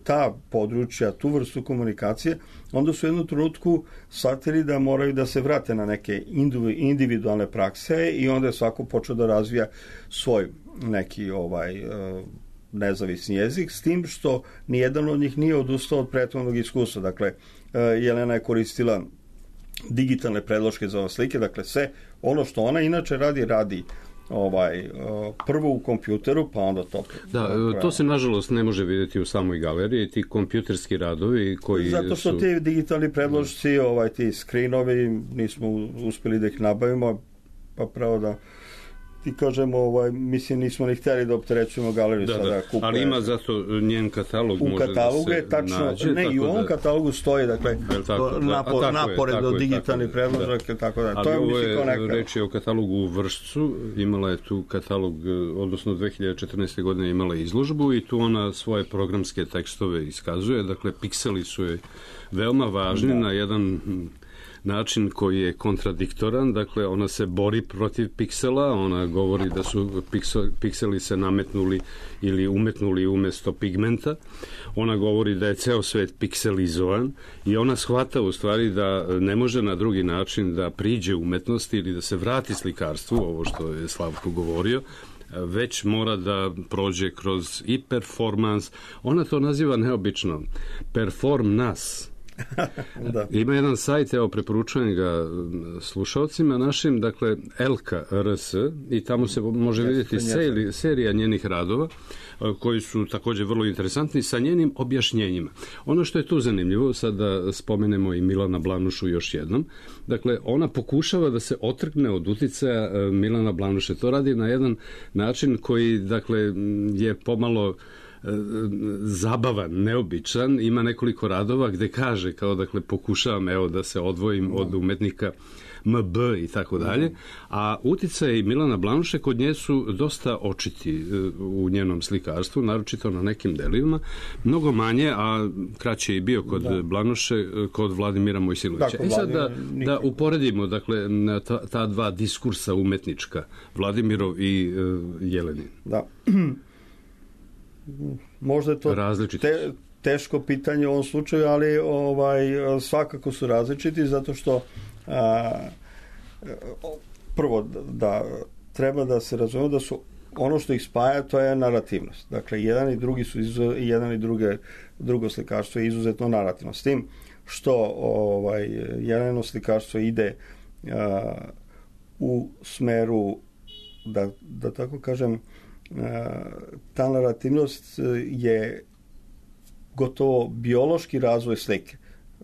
ta područja, tu vrstu komunikacije, onda su u jednom trenutku shvatili da moraju da se vrate na neke individualne prakse i onda je svako počeo da razvija svoj neki nezavisni jezik, s tim što nijedan od njih nije odustao od prethodnog iskustva. Dakle, Jelena je koristila digitalne predloške za ove slike, dakle sve ono što ona inače radi prvo u kompjuteru, pa onda to... to se nažalost ne može vidjeti u samoj galeriji, ti kompjuterski radovi koji zato što ti digitalni predložci, ti screenovi, nismo uspjeli da ih nabavimo, pa pravo da ti kažemo, mislim, nismo ni htjeli da opterećujemo galeriju sada kupuje. Ali ima zato njen katalog u može katalogu da se tačno, nađe. I u ovom katalogu stoji, dakle, napored do digitalnih predložaka, tako da. Ali ovo je reč je o katalogu u Vršcu, imala je tu katalog, odnosno 2014. godine imala izložbu i tu ona svoje programske tekstove iskazuje, dakle, pikseli su je veoma važni na jedan način koji je kontradiktoran, dakle ona se bori protiv piksela, ona govori da su pikseli se nametnuli ili umetnuli umesto pigmenta, ona govori da je ceo svet pikselizovan i ona shvata u stvari da ne može na drugi način da priđe umetnosti ili da se vrati slikarstvu, ovo što je Slavko govorio, već mora da prođe kroz i performans. Ona to naziva neobično perform nas. Da. Ima jedan sajt, evo preporučujem ga slušalcima našim, dakle Elka RS, i tamo se može vidjeti serija njenih radova koji su također vrlo interesantni sa njenim objašnjenjima. Ono što je tu zanimljivo, sad da spomenemo i Milana Blanušu još jednom, dakle ona pokušava da se otrgne od uticaja Milana Blanuše. To radi na jedan način koji dakle je pomalo zabavan, neobičan, ima nekoliko radova gde kaže kao dakle pokušavam evo da se odvojim od umetnika MB i tako dalje, a uticaji Milana Blanuše kod nje su dosta očiti u njenom slikarstvu, naročito na nekim delima, mnogo manje, a kraće i bio kod Blanuše, kod Vladimira Mojsilovića. I sad da uporedimo dakle ta dva diskursa umetnička, Vladimirov i Jelenin. Da. Možda je to teško pitanje u ovom slučaju, ali svakako su različiti, zato što prvo da treba da se razumemo da su ono što ih spaja, to je narativnost. Dakle, jedan i drugi su jedan i drugo slikarstvo je izuzetno narativno. S tim što Jelenino slikarstvo ide u smeru, da tako kažem, ta narativnost je gotovo biološki razvoj slike.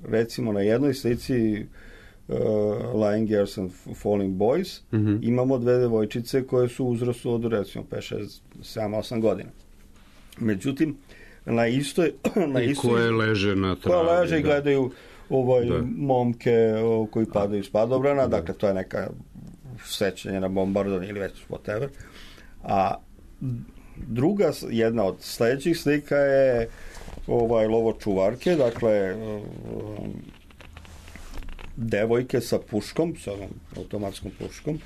Recimo na jednoj slici Lying Girls and Falling Boys imamo dve devojčice koje su u uzrastu od recimo 5, 6, 7, 8 godina. Međutim, na istoj koje leže na travi. Koje leže i gledaju momke koji padaju s padobrana, dakle to je neka sećanje na bombardovanje ili već whatever. Druga, jedna od sledećih slika je lovočuvarke, dakle devojke sa puškom, sa automatskom puškom.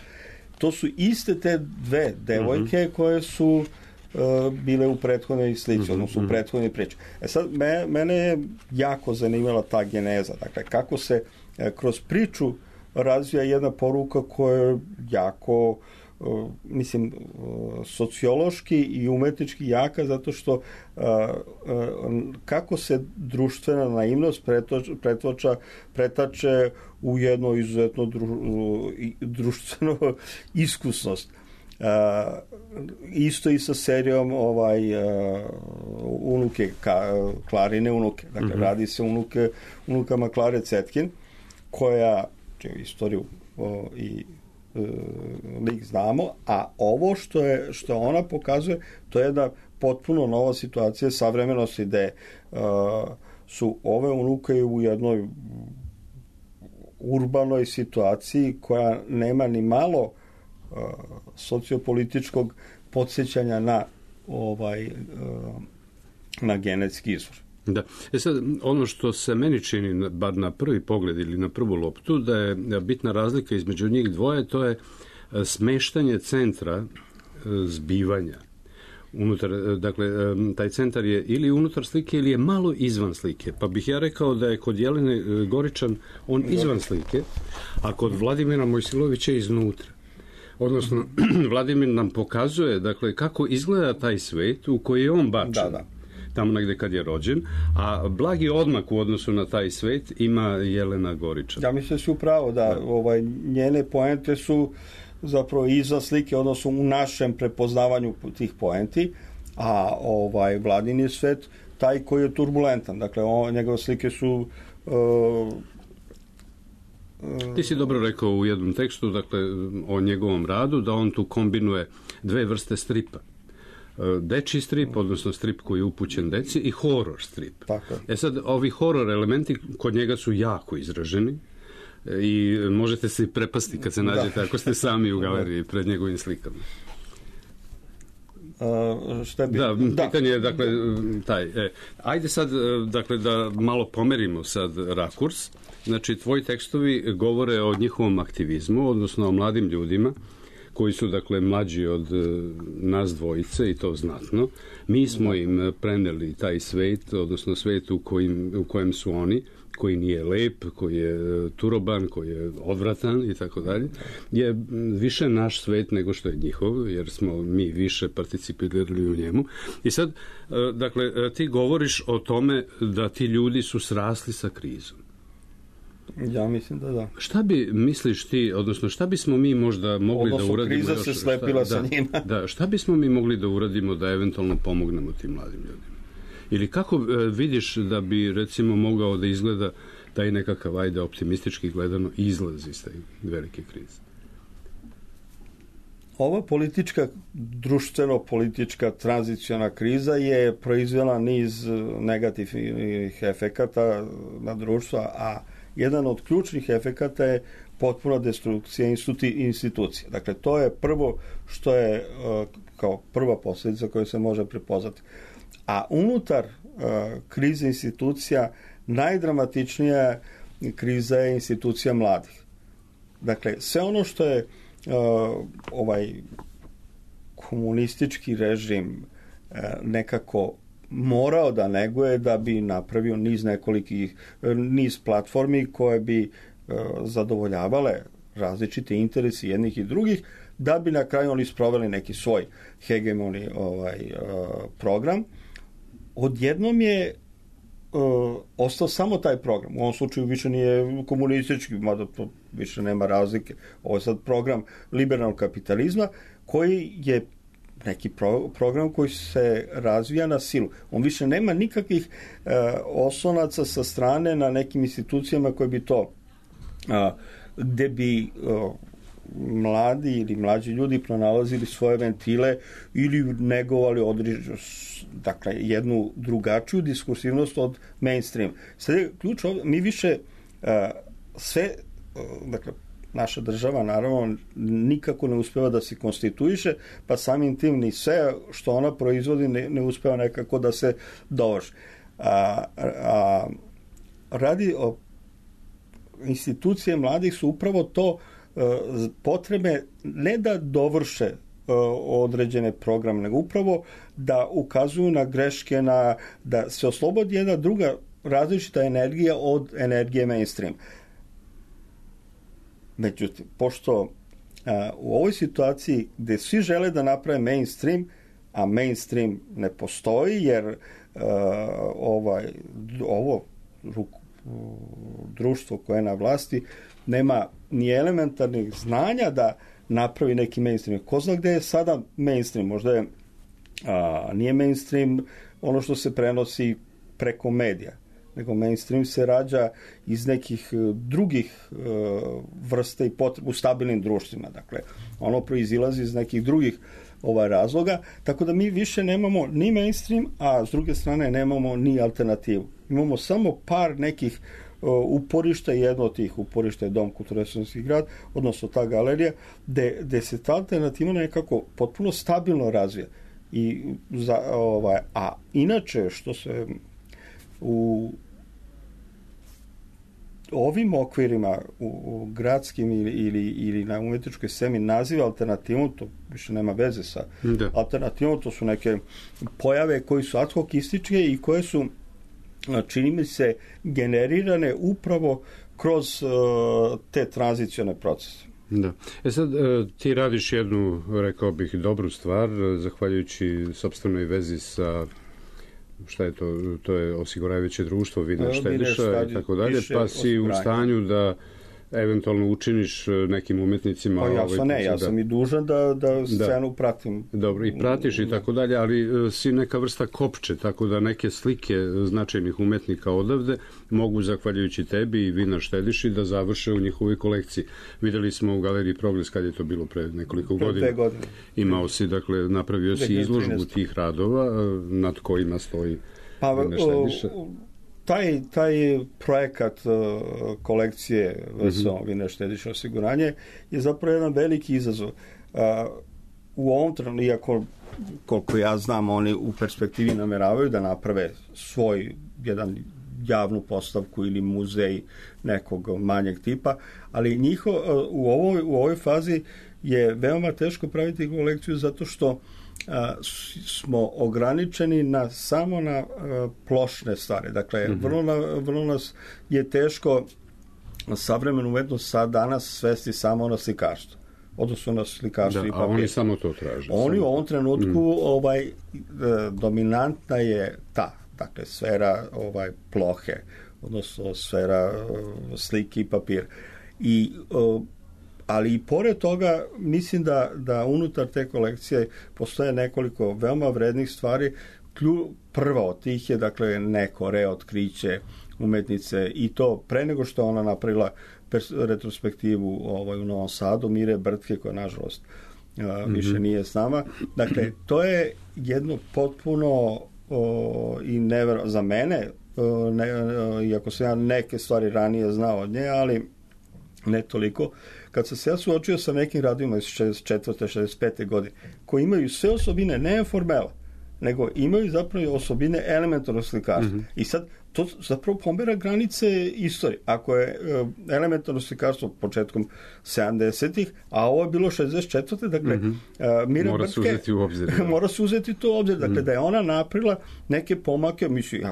To su iste te dve devojke koje su bile u prethodnoj slici, odnosno u prethodnoj priči. Sad, mene je jako zanimala ta geneza, dakle, kako se kroz priču razvija jedna poruka koja je jako sociološki i umetnički jaka, zato što kako se društvena naivnost pretače u jedno izuzetno društveno iskusnost. Isto i sa serijom unuke, Klarine unuke. Dakle, radi se unukama Klare Cetkin, koja, čiju istoriju i lik znamo, a ovo što ona pokazuje, to je jedna potpuno nova situacija savremenosti, gde su ove unuke u jednoj urbanoj situaciji koja nema ni malo sociopolitičkog podsjećanja na genetski izvor. Da. Sad, ono što se meni čini, bar na prvi pogled ili na prvu loptu, da je bitna razlika između njih dvoje, to je smeštanje centra zbivanja. Dakle, taj centar je ili unutar slike ili je malo izvan slike. Pa bih ja rekao da je kod Jelene Goričan on izvan slike, a kod Vladimira Mojsilovića iznutra. Odnosno, Vladimir nam pokazuje, dakle, kako izgleda taj svet u koji je on bačen. Tamo negde kad je rođen, a blagi odmak u odnosu na taj svet ima Jelena Goričan. Ja mislim da si upravo, da njene poente su zapravo izvan slike, odnosno u našem prepoznavanju tih poenti, a Vladin je svet taj koji je turbulentan. Dakle, njegove slike su... Ti si dobro rekao u jednom tekstu, dakle, o njegovom radu, da on tu kombinuje dve vrste stripa. Dečji strip, odnosno strip koji je upućen deci, i horror strip. Tako. Sad, ovi horror elementi kod njega su jako izraženi i možete se prepasti kad se nađete, ako ste sami u galeriji pred njegovim slikama. Pitanje je, dakle, ajde sad, dakle, da malo pomerimo sad rakurs. Znači, tvoji tekstovi govore o njihovom aktivizmu, odnosno o mladim ljudima, koji su, dakle, mlađi od nas dvojice, i to znatno. Mi smo im preneli taj svet, odnosno svet u kojem su oni, koji nije lep, koji je turoban, koji je odvratan i tako dalje, je više naš svet nego što je njihov, jer smo mi više participirali u njemu. I sad, dakle, ti govoriš o tome da ti ljudi su srasli sa krizom. Ja mislim da. Šta bi, misliš ti, odnosno šta bismo mi možda mogli da uradimo? Kriza se slepila sa njima. Da, šta bismo mi mogli da uradimo da eventualno pomognemo tim mladim ljudima? Ili kako vidiš da bi, recimo, mogao da izgleda taj nekakav, ajde, optimistički gledano, izlaz iz te velike krize? Ova društveno-politička tranziciona kriza je proizvela niz negativnih efekata na društvo, a jedan od ključnih efekata je potpuna destrukcija institucija. Dakle, to je prvo što je kao prva posljedica koja se može prepoznati. A unutar krize institucija najdramatičnija kriza je institucija mladih. Dakle, sve ono što je ovaj komunistički režim nekako morao da neguje da bi napravio niz platformi koje bi zadovoljavale različite interesi jednih i drugih, da bi na kraju oni sproveli neki svoj hegemoni program. Odjednom je ostao samo taj program. U ovom slučaju više nije komunistički, mada to više nema razlike. Ovo je sad program liberalnog kapitalizma, koji je neki program koji se razvija na silu. On više nema nikakvih oslonaca sa strane na nekim institucijama koje bi to gde bi mladi ili mlađi ljudi pronalazili svoje ventile ili negovali dakle, jednu drugačiju diskursivnost od mainstream. Sad je ključ, mi više sve, dakle, naša država naravno nikako ne uspeva da se konstituiše, pa samim tim ni sve što ona proizvodi ne uspeva nekako da se dovrši. Radi o institucije mladih su upravo to potrebe ne da dovrše određene programe, nego upravo da ukazuju na greške, da se oslobodi jedna druga različita energija od energije mainstream. Međutim, pošto u ovoj situaciji gde svi žele da naprave mainstream, a mainstream ne postoji, jer ovo društvo koje je na vlasti nema ni elementarnih znanja da napravi neki mainstream. Ko zna gde je sada mainstream? Možda je nije mainstream ono što se prenosi preko medija, nego mainstream se rađa iz nekih drugih vrsta i potreba u stabilnim društvima. Dakle, ono proizilazi iz nekih drugih razloga, tako da mi više nemamo ni mainstream, a s druge strane nemamo ni alternativu. Imamo samo par nekih uporišta, jedno od tih uporišta je Dom kulturno-restorski grad, odnosno ta galerija, gde se ta alternativa nekako potpuno stabilno razvija. A inače, što se u ovim okvirima u gradskim ili na umetničkoj sceni naziva alternativom, to više nema veze sa alternativom, to su neke pojave koji su ad hocističke i koje su, čini mi se, generirane upravo kroz te tranzicione procese. Da. Sad, ti radiš jednu, rekao bih, dobru stvar, zahvaljujući sopstvenoj vezi sa, šta je to? To je osiguravajuće društvo Vina Štediša i tako dalje, pa si u stanju da eventualno učiniš nekim umetnicima... Pa ja sam i dužan da scenu pratim. Dobro, i pratiš i tako dalje, ali si neka vrsta kopče, tako da neke slike značajnih umetnika odavde mogu, zahvaljujući tebi i Vina Štediši, da završe u njihovoj kolekciji. Videli smo u Galeriji Progres, kad je to bilo pre nekoliko godina. 2 godine. Imao si, dakle, napravio si izložbu tih radova nad kojima stoji Vina Štediša. Taj projekat kolekcije VSO, Vina Štediša osiguranje, je zapravo jedan veliki izazov. u ovom trenutku, iako koliko ja znam, oni u perspektivi nameravaju da naprave svoj jedan javnu postavku ili muzej nekog manjeg tipa, ali u ovoj fazi je veoma teško praviti kolekciju zato što smo ograničeni samo na plošne stvari. Dakle, vrlo nas je teško savremenu umetnost sad danas svesti samo na slikarstvo. Odnosno na slikarstvo i papir. A oni samo to traže. Oni u ovom trenutku dominantna je dakle, sfera plohe, odnosno sfera slike i papir. Ali i pored toga mislim da unutar te kolekcije postoje nekoliko veoma vrednih stvari. Prva od tih je dakle neko reotkriće umetnice i to pre nego što ona napravila retrospektivu u Novom Sadu, Mire Brtke, koja nažalost više nije s nama. Dakle, to je jedno potpuno i neverovatno za mene, iako sam ja neke stvari ranije znao od nje, ali ne toliko. Kad sam se ja suočio sa nekim radovima iz 64. 65. godine, koji imaju sve osobine, ne formela, nego imaju zapravo osobine elementarnog slikarstva. I sad to zapravo pomera granice istorije. Ako je elementarno slikarstvo početkom 70-ih, a ovo je bilo 64. Dakle, Mira mora se uzeti u obzir. Mora se uzeti to u obzir. Dakle, da je ona napravila neke pomake, mislim,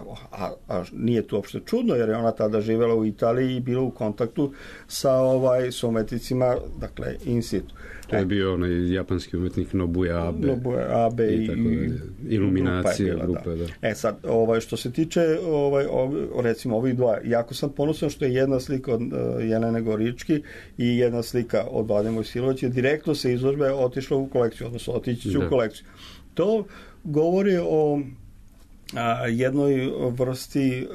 a nije to uopšte čudno, jer je ona tada živela u Italiji i bila u kontaktu sa umetnicima, dakle, in situ. To je bio onaj japanski umetnik Nobuya Abe. Nobuya Abe i iluminacije grupe. Da. Sad, što se tiče recimo ovih dva, jako sam ponosan što je jedna slika od Jelene Gorički i jedna slika od Vlade Mojsilovića direktno sa izložbe otišla u kolekciju, odnosno otići će u kolekciju. govori o jednoj vrsti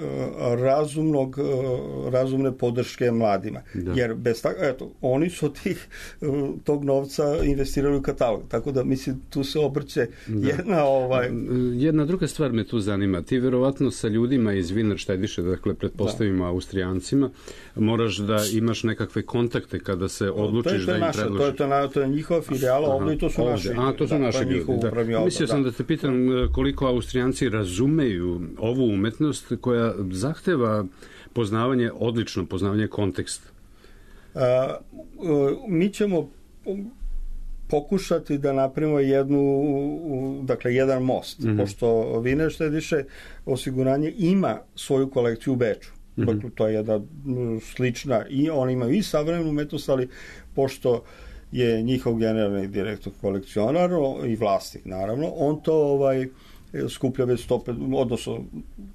razumne podrške mladima. Da. Jer bez oni su tog novca investirali u katalog. Tako da, mislim, tu se obrće jedna... Jedna druga stvar me tu zanima. Ti verovatno sa ljudima iz Wienerstediše, dakle, pretpostavimo Austrijancima, moraš da imaš nekakve kontakte kada se odlučiš da im predložiš. To je njihova filijala ovdje i to su naši. To su naši ljudi. Mislio sam da te pitam koliko Austrijanci razumeju ovu umetnost koja zahteva odlično poznavanje konteksta. Mi ćemo pokušati da napravimo jedan most, pošto Wienerstedische osiguranje ima svoju kolekciju u Beču. Dakle, to je jedna slična i oni imaju i savremenu umetnost, ali pošto je njihov generalni direktor kolekcionar i vlasnik, naravno, on to skuplja već odnosno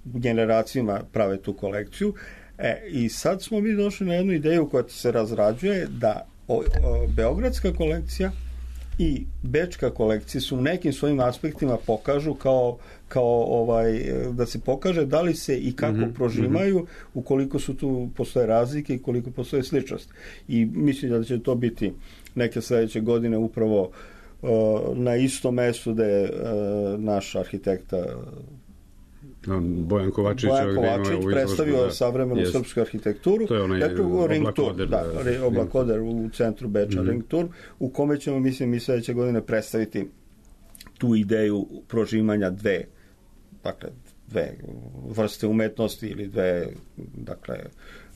generacijama prave tu kolekciju. I sad smo mi došli na jednu ideju koja se razrađuje da beogradska kolekcija i bečka kolekcija su u nekim svojim aspektima pokažu kao da se pokaže da li se i kako prožimaju, ukoliko su tu postoje razlike i koliko postoje sličnost. I mislim da će to biti neke sledeće godine upravo na istom mestu da je naš arhitekta Bojan Kovačić predstavio savremenu srpsku arhitekturu. To je onaj Oblakoder u centru Beča, Ring Tour, u kome ćemo, mislim, mi sledeće godine predstaviti tu ideju prožimanja dve vrste umetnosti ili dve,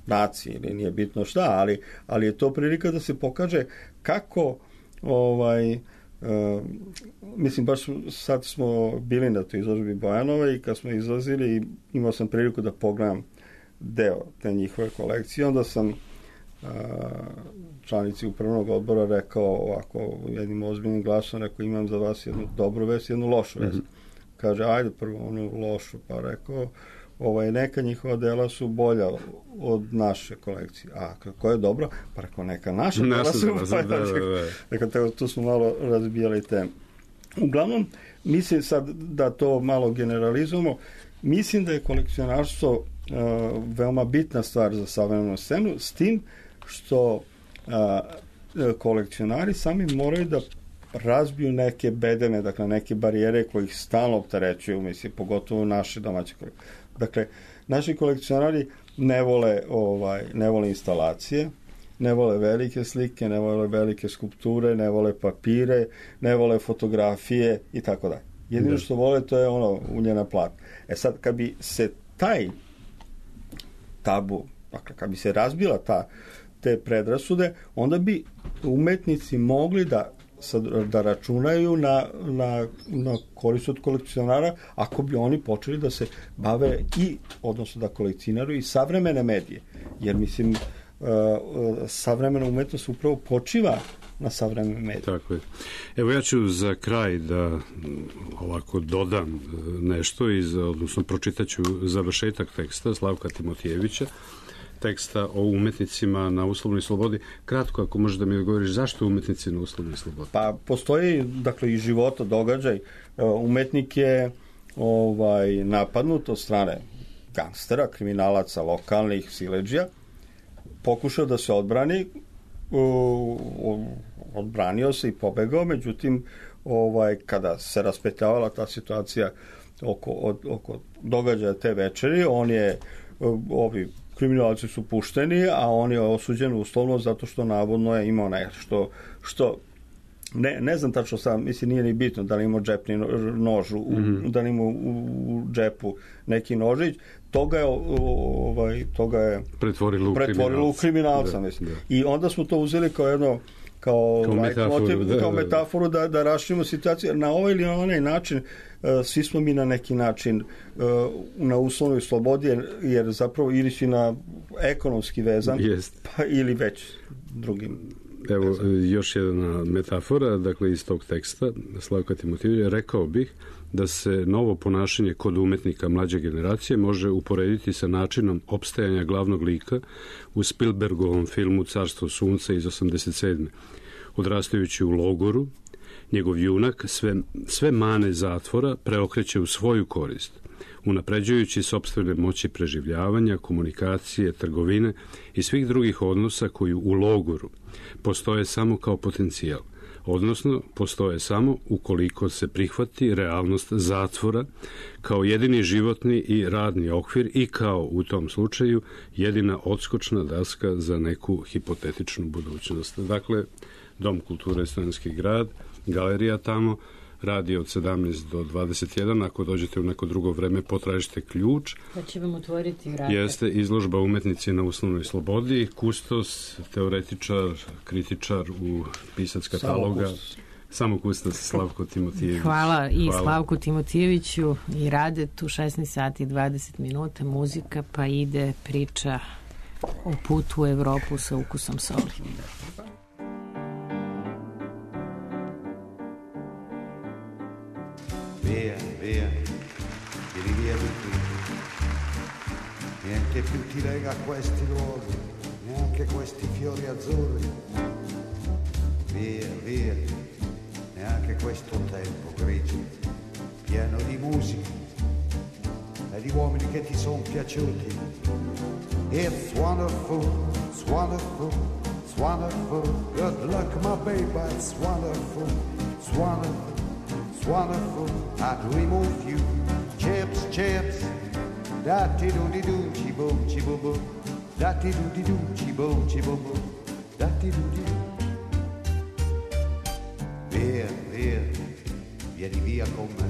nacije ili nije bitno šta, ali je to prilika da se pokaže kako mislim, baš sad smo bili na toj izložbi Bojanova i kad smo izlazili imao sam priliku da pogledam deo te njihove kolekcije, onda sam članici upravnog odbora rekao ovako jednim ozbiljnim glasom, rekao, imam za vas jednu dobru vest, jednu lošu vest. Kaže, ajde prvo onu lošu, pa rekao, neka njihova dela su bolja od naše kolekcije. A kako je dobro? Pa rekao, neka naša dela su bolja. Dakle, tu smo malo razbijali temu. Uglavnom, mislim sad da to malo generalizujemo, mislim da je kolekcionarstvo veoma bitna stvar za savremenu scenu, s tim što kolekcionari sami moraju da razbiju neke bedeme, dakle neke barijere koje ih stalno opterećuju, mislim, pogotovo naše domaće kolekcije. Dakle, naši kolekcionari ne vole instalacije, ne vole velike slike, ne vole velike skulpture, ne vole papire, ne vole fotografije i tako dalje. Jedino što vole to je ono uljena platna. Sad, kad bi se taj tabu, dakle, kad bi se razbila te predrasude, onda bi umetnici mogli da računaju na korist od kolekcionara ako bi oni počeli da se bave odnosno da kolekcioniraju i savremene medije. Jer mislim, savremena umetnost upravo počiva na savremene medije. Tako je. Evo ja ću za kraj da ovako dodam nešto, odnosno pročitaću završetak teksta Slavka Timotijevića, teksta o umetnicima na uslovnoj slobodi. Kratko, ako možeš da mi odgovoriš, zašto umetnici na uslovnoj slobodi? Pa postoji, dakle, i života događaj. Umetnik je napadnut od strane gangstera, kriminalaca, lokalnih siledžija, pokušao da se odbrani, odbranio se i pobegao, međutim, kada se raspetljavala ta situacija oko događaja te večeri, ovi kriminalci su pušteni, a on je osuđen uslovno zato što navodno je imao nešto što ne znam tačno sam, mislim nije ni bitno da li imao džepni nož, da li imao u džepu neki nožić, toga je pretvorilo u kriminalca. Mislim. I onda smo to uzeli kao metaforu da raširimo situaciju. Na ovaj ili na onaj način svi smo mi na neki način na uslovnoj slobodi, jer zapravo ili si na ekonomski vezan, pa ili već drugim. Evo, još jedna metafora, dakle, iz tog teksta Slavka Timotijevića, rekao bih da se novo ponašanje kod umetnika mlađe generacije može uporediti sa načinom opstajanja glavnog lika u Spielbergovom filmu Carstvo sunca iz 87. Odrastajući u logoru, njegov junak sve mane zatvora preokreće u svoju korist, unapređujući sopstvene moći preživljavanja, komunikacije, trgovine i svih drugih odnosa koji u logoru postoje samo kao potencijal, odnosno postoje samo ukoliko se prihvati realnost zatvora kao jedini životni i radni okvir i kao u tom slučaju jedina odskočna daska za neku hipotetičnu budućnost. Dakle, Dom kulture Studentski grad, galerija tamo, radi od 17 do 21, ako dođete u neko drugo vreme, potražite ključ. Pa će vam otvoriti vrata. Jeste izložba umetnici na uslovnoj slobodi, kustos, teoretičar, kritičar u pisac kataloga. Samo kustos, Slavko Timotijević. Hvala i Slavku Timotijeviću i Radetu, 16 sati i 20 minuta, muzika, pa ide priča o putu u Evropu sa ukusom soli. Via, via, vieni via di qui. Niente più ti lega a questi luoghi, neanche questi fiori azzurri. Via, via, neanche questo tempo grigio, pieno di musica e di uomini che ti sono piaciuti. It's wonderful, it's wonderful, it's wonderful. Good luck, my baby, it's wonderful, it's wonderful. Wonderful, I dream of you. Chips, chips, da-ti-do-di-do, chi-boom, chi-boom-boom. Da-ti-do-di-do, chi-boom, chi-boom-boom. Da-ti-do-di-do. Via, via, vieni via con me.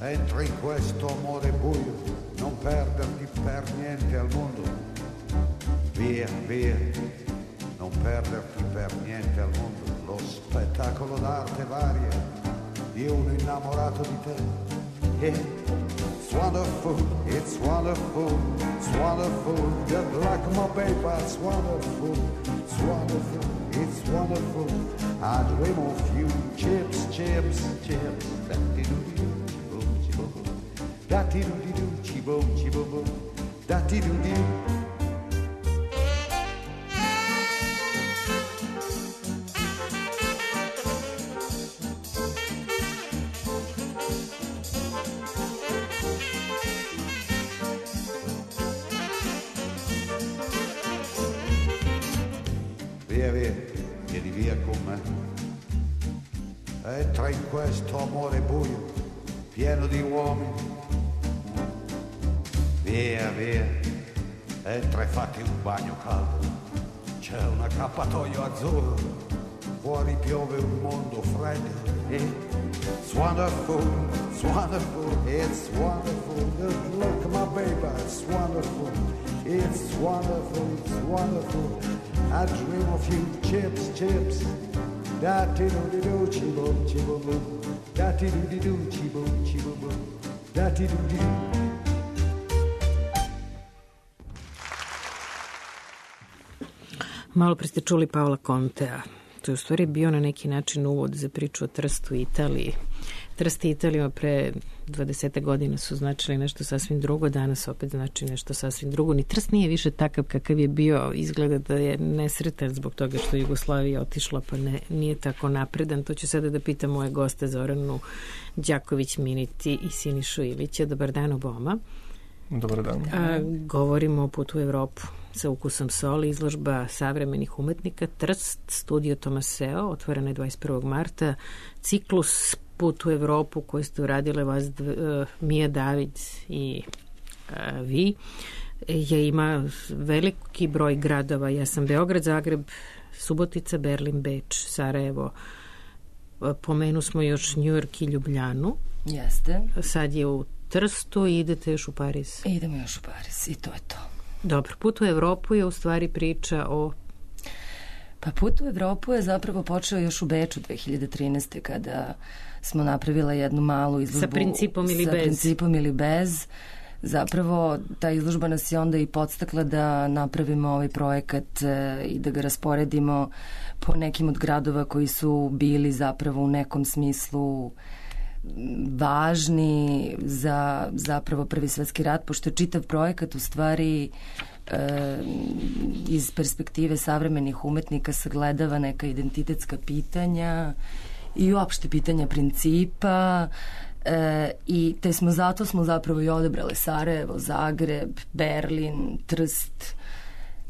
Entra in questo amore buio, non perderti per niente al mondo. Via, via, non perderti per niente al mondo. Lo spettacolo d'arte varia di uno innamorato di te. It's wonderful, it's wonderful, it's wonderful. Good luck, my baby, it's wonderful, it's wonderful, it's wonderful. I dream of you. Chips, chips, chips. Da-ti-do-di-do, chi-boom, chi-boom. Da-ti-do-di-do, chi-boom, chi-boom. Da-ti-do-di-do. Via, via, vieni via con me. Entra in questo amore buio, pieno di uomini. Via, via, entra e fatti un bagno caldo. c'è un accappatoio azzurro, fuori piove un mondo freddo. It's wonderful, it's wonderful, it's wonderful. Just look, my baby, it's wonderful. It's wonderful, it's wonderful. I dream of you, chips, chips. Da-ti-do-di-do, chi-boom, chi-boom-boom. Da-ti-do-di-do, chi-boom, chi-boom-boom. Da-ti-do-di-do. Malo pre ste čuli Paola Contea. To je u stvari bio na neki način uvod za priču o Trstu i Italiji. Trst i Italija pre 20 godina su značili nešto sasvim drugo, danas opet znači nešto sasvim drugo. Ni Trst nije više takav kakav je bio, izgleda da je nesretan zbog toga što je Jugoslavija otišla, pa nije tako napredan. To ću sada da pitam moje goste Zoranu Đaković-Miniti i Sinišu Ilića. Dobar dan oboma. Dobar dan. Govorimo o putu u Evropu sa ukusom soli, izložba savremenih umetnika Trst, studio Tomaseo, otvorena je 21. marta. Ciklus Put u Evropu koji ste uradile vas Mija David i vi ima veliki broj gradova. Ja sam Beograd, Zagreb, Subotica, Berlin, Beč, Sarajevo. Pomenu smo još New York i Ljubljanu. Jeste. Sad je u Trstu i idete još u Pariz. Idemo još u Pariz i to je to. Dobro, Put u Evropu je u stvari priča o... Pa Put u Evropu je zapravo počeo još u Beču 2013. kada smo napravila jednu malu izložbu. Sa principom ili bez? Sa principom ili bez. Zapravo ta izložba nas je onda i podstakla da napravimo ovaj projekat i da ga rasporedimo po nekim od gradova koji su bili zapravo u nekom smislu važni za zapravo Prvi svetski rat, pošto je čitav projekat u stvari iz perspektive savremenih umetnika sagledava neka identitetska pitanja i uopšte pitanja principa i zato smo zapravo i odebrali Sarajevo, Zagreb, Berlin, Trst.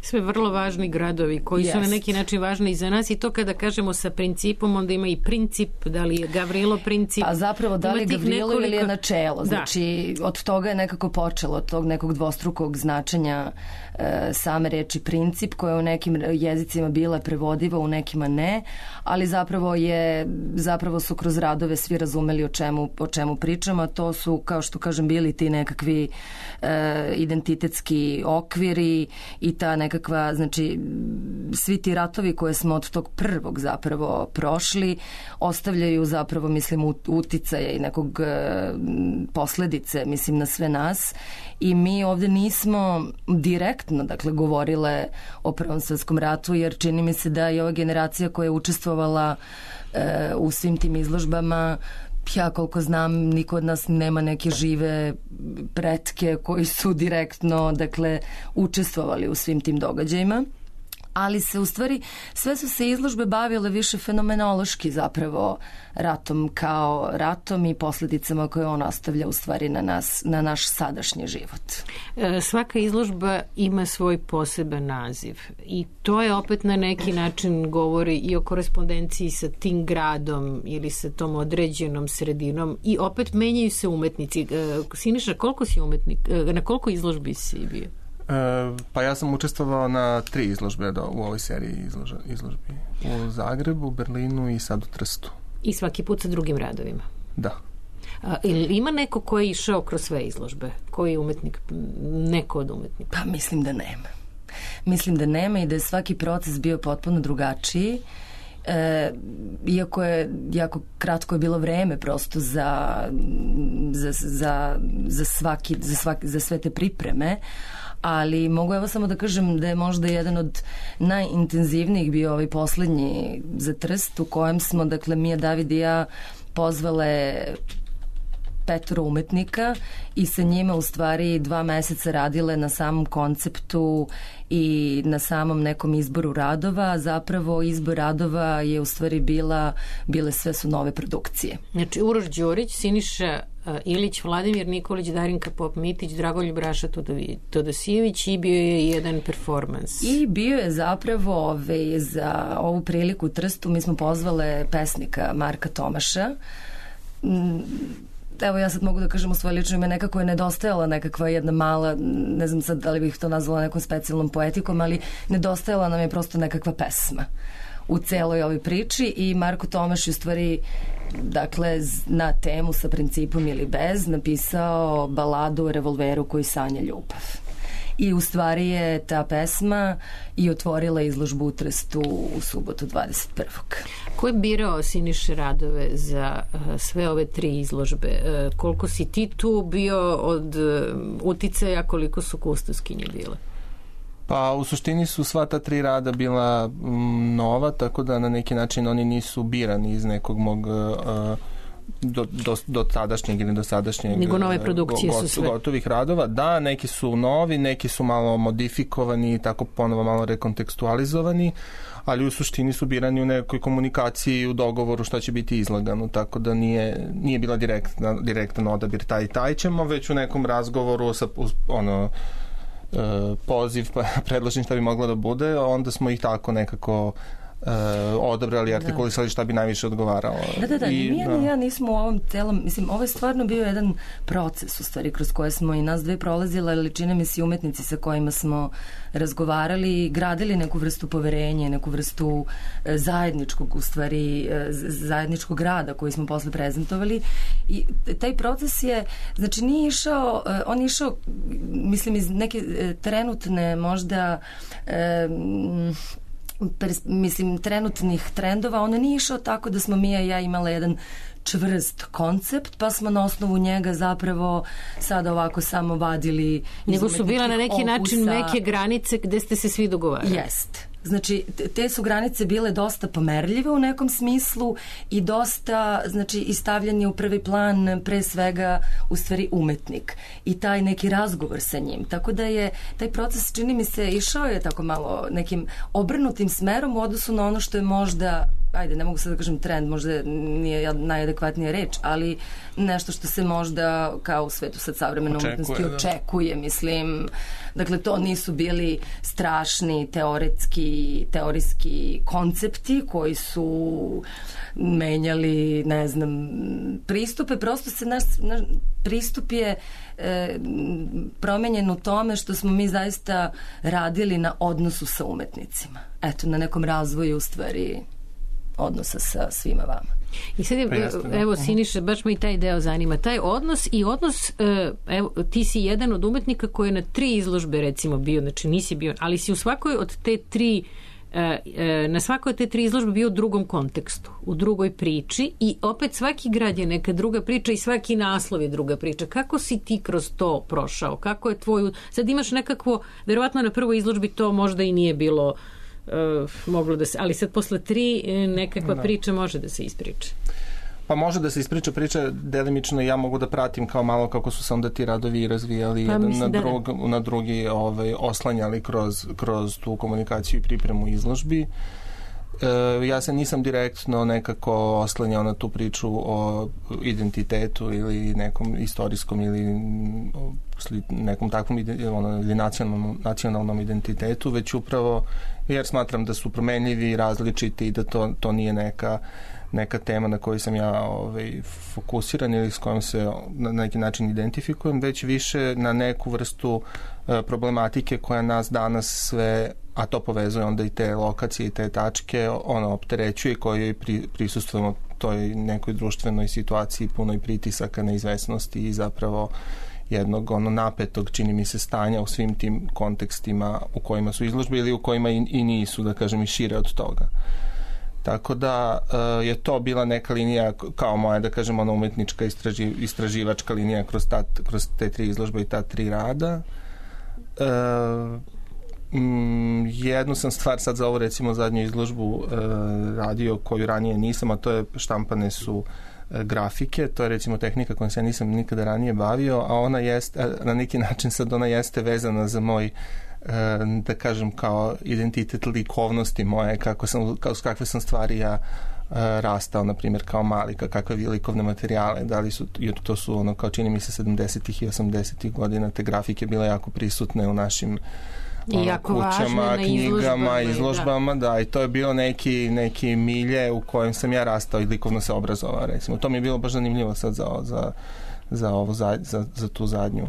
Sve vrlo važni gradovi koji su na neki način važni i za nas i to kada kažemo sa principom, onda ima i princip, da li je Gavrilo princip. A zapravo da li je Gavrilo ili je načelo. Znači, od toga je nekako počelo, od tog nekog dvostrukog značenja same reči princip, koja je u nekim jezicima bila prevodiva, u nekima ne, ali zapravo su kroz radove svi razumeli o čemu pričamo, a to su, kao što kažem, bili ti nekakvi identitetski okviri i ta nekakva, znači svi ti ratovi koje smo od tog prvog zapravo prošli ostavljaju zapravo, mislim, uticaje i nekog posledice, mislim, na sve nas i mi ovde nismo direktno, dakle, govorile o Prvom svetskom ratu, jer čini mi se da je ova generacija koja je učestvovala u svim tim izložbama, ja koliko znam, niko od nas nema neke žive pretke koji su direktno, dakle, učestvovali u svim tim događajima. Ali se u stvari, sve su se izložbe bavile više fenomenološki zapravo ratom kao ratom i posljedicama koje on ostavlja u stvari na naš sadašnji život. Svaka izložba ima svoj poseban naziv i to je opet na neki način govori i o korespondenciji sa tim gradom ili sa tom određenom sredinom i opet menjaju se umetnici. Siniša, koliko si umetnik? Na koliko izložbi si bio? Pa ja sam učestvovao na 3 izložbe u ovoj seriji izložbi. U Zagrebu, Berlinu i sad u Trstu. I svaki put sa drugim radovima? Da. Ima neko ko je išao kroz sve izložbe? Koji je umetnik? Neko od umetnika? Pa mislim da nema. Mislim da nema i da je svaki proces bio potpuno drugačiji. Iako je jako kratko je bilo vreme prosto za sve te pripreme, ali mogu evo samo da kažem da je možda jedan od najintenzivnijih bio ovaj poslednji za Trst, u kojem smo, dakle, Mija David i ja pozvale 5 umetnika i sa njima u stvari 2 meseca radile na samom konceptu i na samom nekom izboru radova. Zapravo izbor radova je u stvari bile sve su nove produkcije. Znači Uroš Đurić, Siniša Ilić, Vladimir Nikolić, Darinka Pop-Mitić, Dragoljub Raša Todosijević i bio je jedan performans. I bio je zapravo za ovu priliku u Trstu mi smo pozvale pesnika Marka Tomaša. evo ja sad mogu da kažem u svoje lično ime, nekako je nedostajala nekakva jedna mala, ne znam sad da li bih to nazvala nekom specijalnom poetikom, ali nedostajala nam je prosto nekakva pesma u celoj ovoj priči i Marko Tomaš je u stvari, dakle, na temu Sa principom ili bez napisao baladu o revolveru koji sanja ljubav. I u stvari je ta pesma i otvorila izložbu u Trstu u subotu 21. Ko je birao Siniše radove za sve ove 3 izložbe? Koliko si ti tu bio od uticaja, koliko su kustoskinje bile? Pa u suštini su sva ta 3 rada bila nova, tako da na neki način oni nisu birani iz nekog mog do tadašnjeg ili do sadašnjeg nego nove produkcije su sve gotovih radova. Da, neki su novi, neki su malo modifikovani i tako ponovo malo rekontekstualizovani, ali u suštini su birani u nekoj komunikaciji, u dogovoru šta će biti izlagano, tako da nije bila direktan odabir taj i taj ćemo, već u nekom razgovoru sa poziv, pa predložim šta bi moglo da bude, onda smo ih tako nekako odabrali, artikulisali šta bi najviše odgovaralo. Da, ja nismo u ovom celom, mislim, ovo je stvarno bio jedan proces u stvari kroz koje smo i nas dve prolazile, ali čine mi se umetnici sa kojima smo razgovarali i gradili neku vrstu poverenja, neku vrstu zajedničkog, u stvari zajedničkog rada koji smo posle prezentovali i taj proces je, znači nije išao, on je išao, mislim, iz neke trenutne možda trenutnih trendova, on nije išao tako da smo Mija i ja imala jedan čvrst koncept, pa smo na osnovu njega zapravo sada ovako samo vadili, nego su bila na neki način neke granice gde ste se svi dogovarali. Jest. Znači, te su granice bile dosta pomerljive u nekom smislu i dosta, znači, istavljanje u prvi plan pre svega u stvari umetnik i taj neki razgovor sa njim. Tako da je taj proces, čini mi se, išao je tako malo nekim obrnutim smerom u odnosu na ono što je možda, ajde, ne mogu sad da kažem trend, možda nije najadekvatnija reč, ali nešto što se možda kao u svetu sad savremene umetnosti očekuje, mislim. Dakle, to nisu bili strašni teorijski koncepti koji su menjali, ne znam, pristupe. Prosto se naš pristup je promenjen u tome što smo mi zaista radili na odnosu sa umetnicima. Eto, na nekom razvoju u stvari odnosa sa svima vama. I sad je, evo Siniša, baš me i taj deo zanima. Taj odnos i odnos, evo, ti si jedan od umetnika koji je na 3 izložbe recimo bio, znači nisi bio, ali si u svakoj od te 3 na svakoj od te 3 izložbe bio u drugom kontekstu, u drugoj priči i opet svaki grad je neka druga priča i svaki naslov je druga priča. Kako si ti kroz to prošao? Kako je tvoju... Sad imaš nekakvo, verovatno na prvoj izložbi to možda i nije bilo moglo da se, ali sad posle 3 nekakva priča može da se ispriča. Pa može da se ispriča priča delimično i ja mogu da pratim kao malo kako su se onda ti radovi razvijali jedan na drugi oslanjali kroz tu komunikaciju i pripremu izložbi. Ja se nisam direktno nekako oslanjao na tu priču o identitetu ili nekom istorijskom ili nekom takvom ili nacionalnom identitetu, već upravo jer smatram da su promenljivi i različiti i da to nije neka tema na kojoj sam ja fokusiran ili s kojom se na neki način identifikujem, već više na neku vrstu problematike koja nas danas sve, a to povezuje onda i te lokacije i te tačke, opterećuje, kojoj prisustvujemo toj nekoj društvenoj situaciji punoj pritisaka, neizvesnosti i zapravo jednog napetog, čini mi se, stanja u svim tim kontekstima u kojima su izložbe ili u kojima i nisu, da kažem, i šire od toga. Tako da je to bila neka linija kao moja, da kažem, umetnička istraživačka linija kroz te 3 izložbe i ta 3 rada. Jednu sam stvar sad za ovu recimo zadnju izložbu radio koju ranije nisam, a to je štampane su grafike, to je recimo tehnika kojom se ja nisam nikada ranije bavio, a ona jeste, na neki način sad ona jeste vezana za moj, da kažem, kao identitet likovnosti moje, kakve sam stvari ja rastao, na primjer, kao mali, kakve likovne materijale, da li su, jer to su kao čini mi se 70-ih i 80-ih godina te grafike bile jako prisutne u našim kućama, knjigama, izložbama, da, i to je bio neki milje u kojem sam ja rastao i likovno se obrazovao, recimo. To mi je bilo baš zanimljivo sad za tu zadnju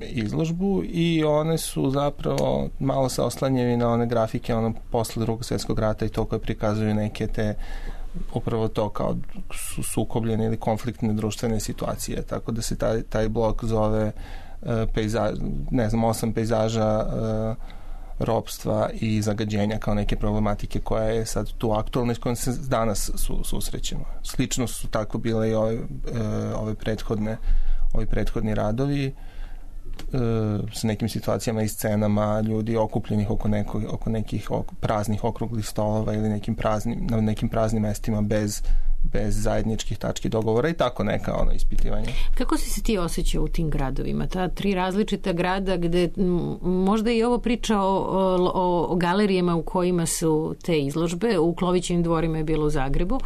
izložbu i one su zapravo malo se oslanjaju na one grafike posle Drugog svjetskog rata i to koje prikazuju neke te upravo to kao sukobljene ili konfliktne društvene situacije, tako da se taj blok zove 8 pejzaža ropstva i zagađenja kao neke problematike koja je sad tu aktualna i s kojom se danas susrećemo. Slično su tako bile i ove prethodni radovi s nekim situacijama i scenama ljudi okupljenih oko nekih praznih okruglih stolova ili na nekim praznim mestima bez zajedničkih tački dogovora i tako neka ispitivanja. Kako si se ti osjećao u tim gradovima? Ta 3 različita grada gde možda i ovo priča o galerijama u kojima su te izložbe. U Klovićevim dvorima je bilo u Zagrebu.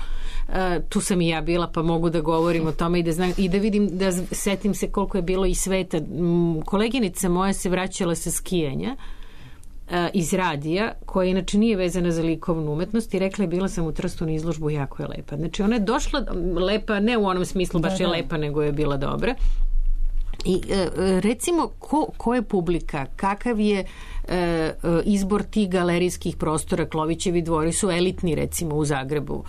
Tu sam i ja bila, pa mogu da govorim o tome i da vidim, da setim se koliko je bilo i sveta. Koleginica moja se vraćala sa skijanja iz radija, koja inače nije vezana za likovnu umetnost i rekla je bila sam u Trstu na izložbu, jako je lepa. Znači ona je došla lepa, ne u onom smislu baš je lepa, nego je bila dobra. I recimo ko je publika, kakav je izbor tih galerijskih prostora? Klovićevi dvori su elitni recimo u Zagrebu.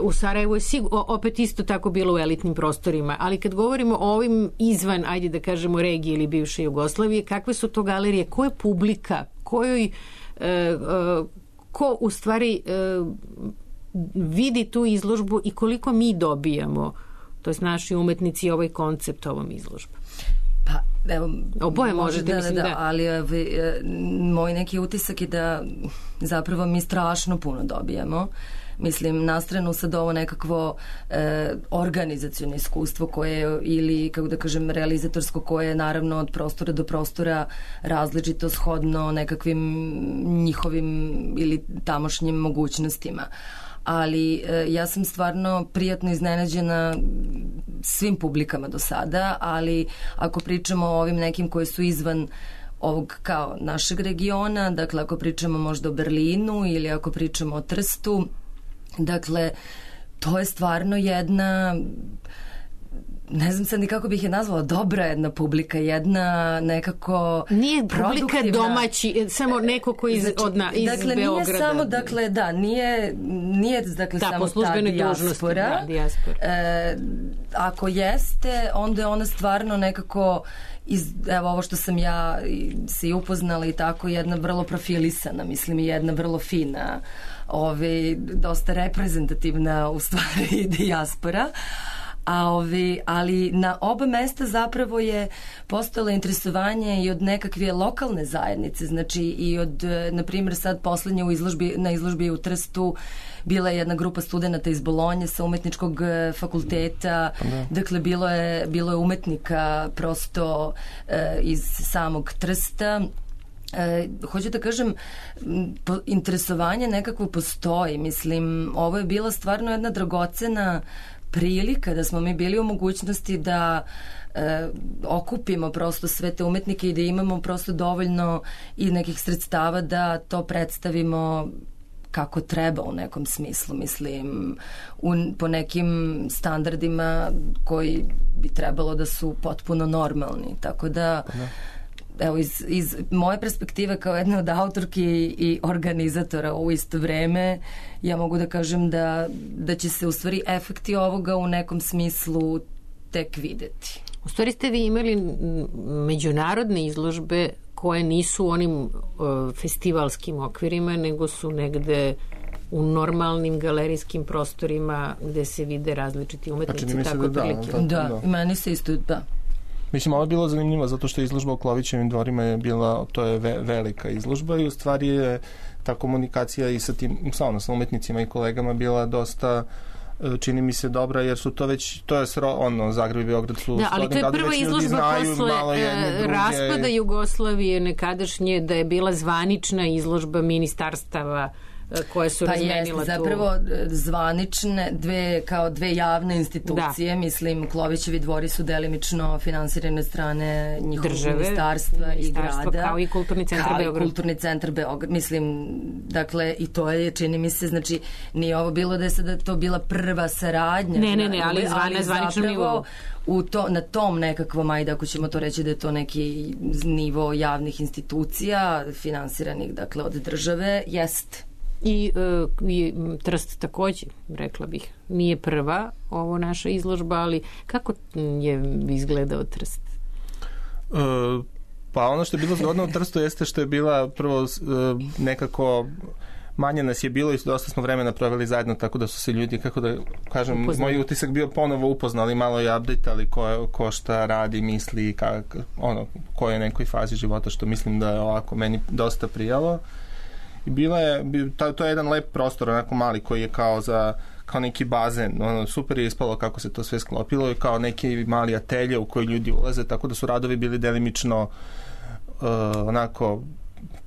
U Sarajevu je opet isto tako bilo u elitnim prostorima, ali kad govorimo o ovim izvan, ajde da kažemo, regije ili bivše Jugoslavije, kakve su to galerije, ko je publika, ko u stvari vidi tu izložbu i koliko mi dobijamo, to je naši umetnici, ovaj koncept ovom izložbu? Pa, evo, oboje možete, mislim da. Ali moj neki utisak je da zapravo mi strašno puno dobijamo. Mislim, na stranu sad ovo nekakvo organizaciono iskustvo koje ili, kako da kažem, realizatorsko, koje je naravno od prostora do prostora različito shodno nekakvim njihovim ili tamošnjim mogućnostima. Ali ja sam stvarno prijatno iznenađena svim publikama do sada, ali ako pričamo o ovim nekim koji su izvan ovog kao našeg regiona, dakle ako pričamo možda o Berlinu ili ako pričamo o Trstu, dakle to je stvarno jedna, ne znam sad ni kako bih je nazvala, dobra jedna publika, jedna nekako nije publika domaći, samo neko koji iz Beograda. Nije samo, dakle, da, nije dakle, samo ta dijaspora. Ako jeste, onda je ona stvarno nekako evo ovo što sam ja se i upoznala i tako, jedna vrlo profilisana, mislim, i jedna vrlo fina, dosta reprezentativna u stvari dijaspora. Ali na oba mesta zapravo je postojalo interesovanje i od nekakve lokalne zajednice, znači i od, na primjer, sad poslednje na izložbi u Trstu bila je jedna grupa studenata iz Bolonje sa umetničkog fakulteta, dakle bilo je umetnika prosto iz samog Trsta. Hoću da kažem, interesovanje nekako postoji, mislim, ovo je bila stvarno jedna dragocena prilika da smo mi bili u mogućnosti da okupimo prosto sve te umetnike i da imamo prosto dovoljno i nekih sredstava da to predstavimo kako treba u nekom smislu, mislim, po nekim standardima koji bi trebalo da su potpuno normalni, tako da evo, iz moje perspektive kao jedne od autorki i organizatora u isto vreme, ja mogu da kažem da će se u stvari efekti ovoga u nekom smislu tek videti. U stvari ste vi imali međunarodne izložbe koje nisu u onim festivalskim okvirima, nego su negde u normalnim galerijskim prostorima gde se vide različiti umetnici. Znači, tako da, meni se isto, da. Mislim, ovo je bilo zanimljivo zato što izložba u Klovićevim dvorima je bila, to je velika izložba i u stvari je ta komunikacija i sa tim, sa umetnicima i kolegama bila dosta, čini mi se, dobra, jer su to već, to je Zagreb i Beograd su... Da, ali to je prva izložba posle raspada Jugoslavije nekadašnje, da je bila zvanična izložba ministarstava koje su razmenila tu. Zapravo zvanične, dve javne institucije, mislim, Klovićevi dvori su delimično finansirane od strane njihovog ministarstva i grada. Kao i Kulturni centar Beograd. Kulturni centar Beograd. Mislim, dakle, i to je, čini mi se, znači, nije ovo bilo da je sada to bila prva saradnja. Ne, ali na zvaničnom nivou. Na tom nekakvom, ajde ako ćemo to reći da je to neki nivo javnih institucija finansiranih, dakle, od države, jest. I Trst takođe, rekla bih, nije prva ovo naša izložba, ali kako je izgledao Trst? Pa ono što je bilo zgodno u Trstu jeste što je bila prvo nekako manje nas je bilo i dosta smo vremena proveli zajedno, tako da su se ljudi, kako da kažem, moj utisak bio ponovo upoznali, malo i update-ali ko šta radi, misli, ko je u nekoj fazi života, što mislim da je ovako meni dosta prijalo. I to je jedan lep prostor, onako mali, koji je kao neki bazen, super je ispalo kako se to sve sklopilo i kao neki mali atelje u koji ljudi ulaze, tako da su radovi bili delimično onako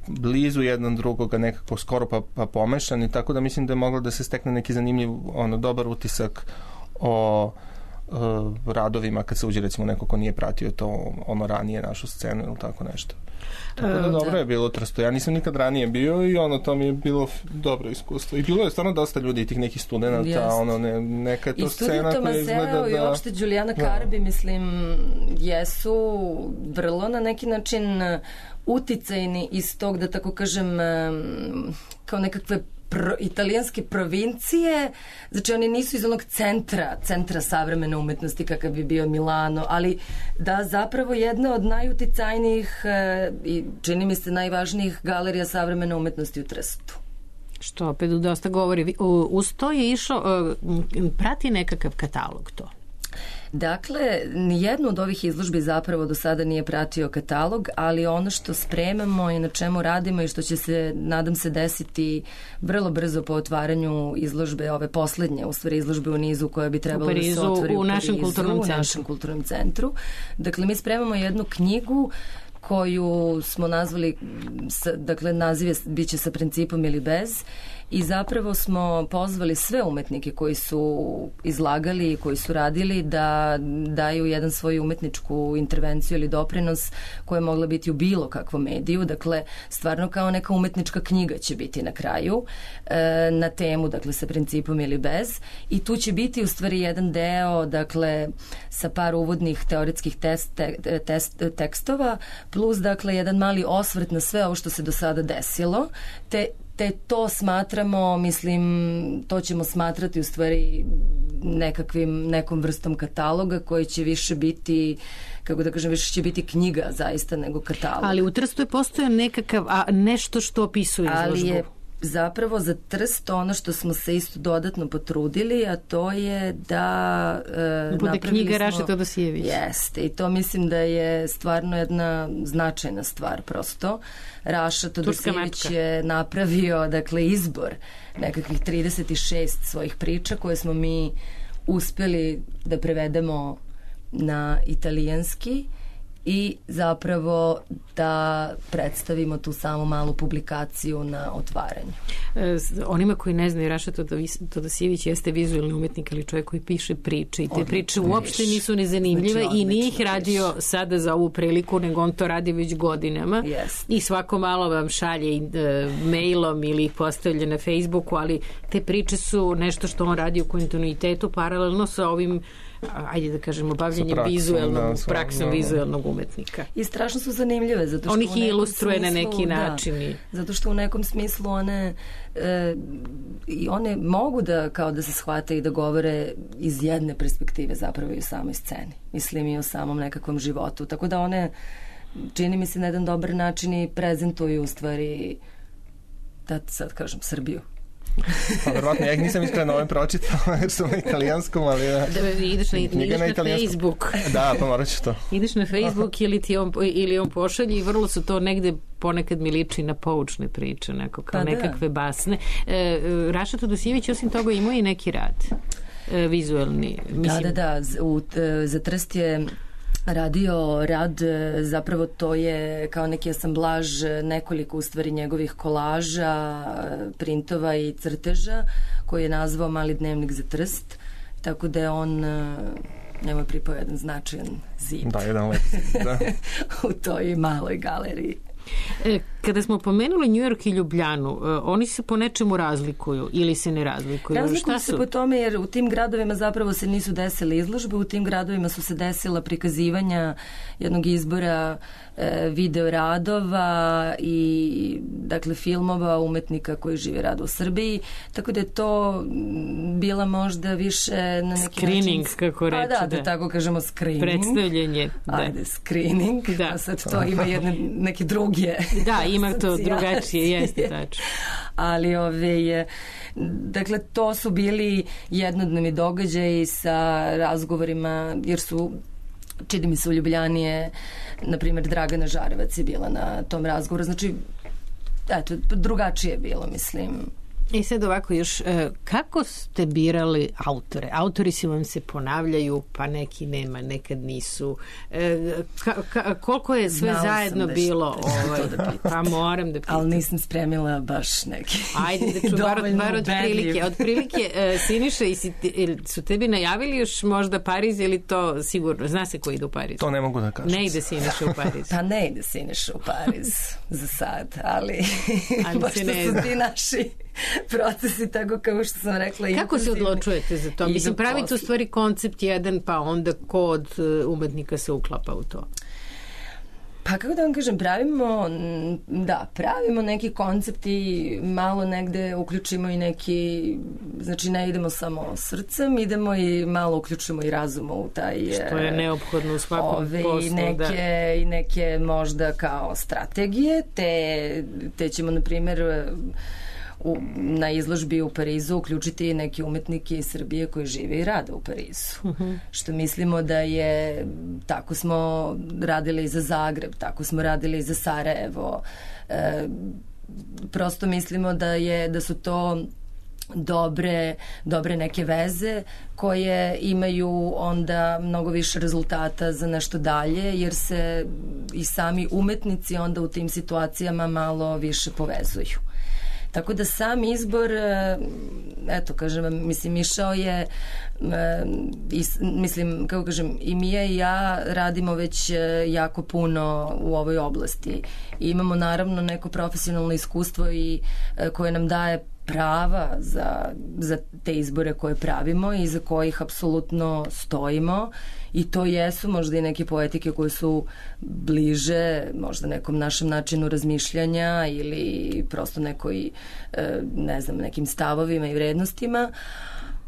blizu jedan drugoga, nekako skoro pa pomešani, tako da mislim da je moglo da se stekne neki zanimljiv, dobar utisak o radovima kad se uđe recimo neko ko nije pratio to ranije našu scenu ili tako nešto. Tako da dobro je bilo Trsto. Ja nisam nikad ranije bio i to mi je bilo dobro iskustvo. I bilo je stvarno dosta ljudi, tih nekih studenta, neka je to scena koja izgleda da... I uopšte Đulijana Karbi, mislim, jesu vrlo na neki način uticajni iz tog, da tako kažem, kao nekakve italijanske provincije, znači oni nisu iz onog centra savremene umetnosti kakav bi bio Milano, ali da zapravo jedna od najuticajnijih i čini mi se najvažnijih galerija savremene umetnosti u Trstu. Što opet dosta govori. Uz to je išao, prati nekakav katalog to? Dakle, nijednu od ovih izložbi zapravo do sada nije pratio katalog, ali ono što spremamo i na čemu radimo i što će se, nadam se, desiti vrlo brzo po otvaranju izložbe, ove poslednje, u stvari izložbe u nizu koja bi trebalo da se otvori u našem kulturnom centru. Dakle, mi spremamo jednu knjigu koju smo nazvali, dakle, naziv je biće sa principom ili bez, i zapravo smo pozvali sve umetnike koji su izlagali i koji su radili da daju jedan svoju umetničku intervenciju ili doprinos koja je mogla biti u bilo kakvom mediju, dakle stvarno kao neka umetnička knjiga će biti na kraju na temu, dakle sa principom ili bez, i tu će biti u stvari jedan deo, dakle sa par uvodnih teoretskih tekstova plus dakle jedan mali osvrt na sve ovo što se do sada desilo, te to smatramo, mislim, to ćemo smatrati u stvari nekom vrstom kataloga koji će više biti, kako da kažem, više će biti knjiga zaista nego katalog. Ali u Trstu je postoje nekakav, nešto što opisuje izložbu. Ali je zapravo za Trst ono što smo se isto dodatno potrudili, a to je da bude knjiga Raša Todosijević. Jeste, i to mislim da je stvarno jedna značajna stvar prosto. Raša Todosijević je napravio, dakle, izbor nekakvih 36 svojih priča koje smo mi uspeli da prevedemo na italijanski i zapravo da predstavimo tu samo malu publikaciju na otvaranju. Onima koji ne znaju, Raša Todosijević jeste vizualni umetnik, ali čovjek koji piše priče i te priče uopšte nisu nezanimljive i nije ih radio sada za ovu priliku, nego on to radi već godinama i svako malo vam šalje mailom ili ih postavlja na Facebooku, ali te priče su nešto što on radi u kontinuitetu paralelno sa ovim, ajde da kažemo, bavljenjem praksom vizualnog umetnika. I strašno su zanimljive, zato što on ih ilustruje na neki način. Zato što u nekom smislu one mogu da kao da se shvate i da govore iz jedne perspektive zapravo i u samoj sceni. Mislim i o samom nekakvom životu. Tako da one, čini mi se, na jedan dobar način i prezentuju u stvari, da sad kažem, Srbiju. Pa verovatno, ja ih nisam iskreno ovim pročitao jer su na italijanskom, ali ideš na Facebook. Da, pa morat ću to. Ideš na Facebook ili on pošalji i vrlo su to negde, ponekad mi liči na poučne priče, kao nekakve basne. Raša Todosijević osim toga imao i neki rad vizualni. Da, za Trst je radio rad, zapravo to je kao neki asamblaž nekoliko u stvari njegovih kolaža, printova i crteža koji je nazvao Mali dnevnik za Trst, tako da je on njemu je pripao jedan značajan zid. Da, jedan lep zid, da. U toj maloj galeriji. Kada smo pomenuli New York i Ljubljanu, oni se po nečemu razlikuju ili se ne razlikuju? Razlikuju se po tome jer u tim gradovima zapravo se nisu desile izložbe, u tim gradovima su se desila prikazivanja jednog izbora video radova i dakle filmova umetnika koji žive rado u Srbiji, tako da je to bila možda više na neki screening, način, kako reče. Pa da tako kažemo screening. Predstavljanje. Ajde, screening. Da. Sad to ima neke druge. Da, ima to drugačije, jeste tačno. Ali dakle, to su bili jednodnevni događaji sa razgovorima, jer su čini mi se u Ljubljani je, na primjer, Dragana Žarevac je bila na tom razgovoru. Znači, eto, drugačije je bilo, mislim. I sad ovako još, kako ste birali autore? Autori si vam se ponavljaju, pa neki nema, nekad nisu. Koliko je sve zajedno bilo? Pa moram da pitam. Ali nisam spremila baš neki. Ajde da ću bar otprilike. Otprilike, Siniša, su tebi najavili još možda Pariz ili to sigurno? Zna se ko ide u Pariz? To ne mogu da kažem. Ne ide Siniša u Pariz. Pa ne ide Siniša u Pariz za sad, ali baš što su ti naši procesi, tako kao što sam rekla. Kako se odlučujete za to? Mislim, pravite u stvari koncept jedan, pa onda ko od umetnika se uklapa u to? Pa kako da vam kažem, pravimo neki koncept i malo negde uključimo i neki, znači ne idemo samo srcem, idemo i malo uključimo i razum u taj... Što je neophodno u svakom poslu, I neke možda kao strategije, te ćemo, na primjer, na izložbi u Parizu uključiti neke umetnike iz Srbije koji žive i rade u Parizu. Što mislimo da je, tako smo radili i za Zagreb, tako smo radili i za Sarajevo. Prosto mislimo da su to dobre neke veze koje imaju onda mnogo više rezultata za nešto dalje, jer se i sami umetnici onda u tim situacijama malo više povezuju. Tako da sam izbor, eto, kažem vam, mislim, išao je, mislim, kako kažem, i Mija i ja radimo već jako puno u ovoj oblasti. I imamo naravno neko profesionalno iskustvo i koje nam daje prava za te izbore koje pravimo i za kojih apsolutno stojimo, i to jesu možda i neke poetike koje su bliže možda nekom našem načinu razmišljanja ili prosto nekoj, ne znam, nekim stavovima i vrednostima,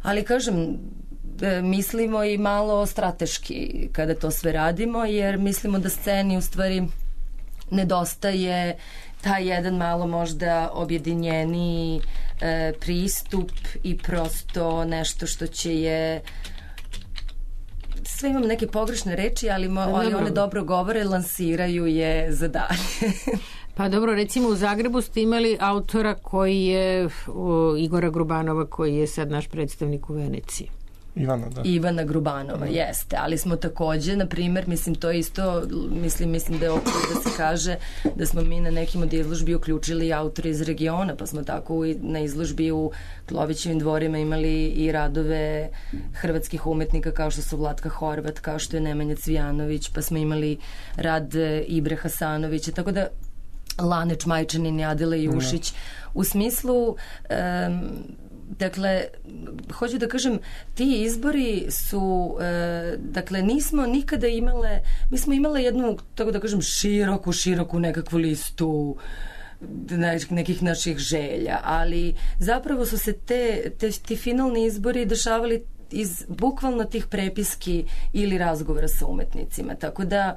ali kažem, mislimo i malo strateški kada to sve radimo, jer mislimo da sceni u stvari nedostaje taj jedan malo možda objedinjeniji pristup i prosto nešto što će je, sve imam neke pogrešne reči, ali one dobro govore, lansiraju je za dalje. Pa dobro, recimo u Zagrebu ste imali autora koji je Igora Grubanova, koji je sad naš predstavnik u Veneciji. Ivana Grubanova, jeste, ali smo takođe, na primjer, mislim, to isto, mislim da je opet da se kaže da smo mi na nekim od izložbi uključili autore iz regiona, pa smo tako na izložbi u Klovićevim dvorima imali i radove hrvatskih umetnika kao što su Vlatka Horvat, kao što je Nemanja Cvijanović, pa smo imali rad Ibre Hasanovića, tako da Laneć Majčanin i Adela Jušić, u smislu dakle, hoću da kažem, ti izbori su, dakle, nismo nikada imale, mi smo imale jednu, tako da kažem, široku nekakvu listu nekih naših želja, ali zapravo su se ti finalni izbori dešavali iz bukvalno tih prepiski ili razgovora sa umetnicima, tako da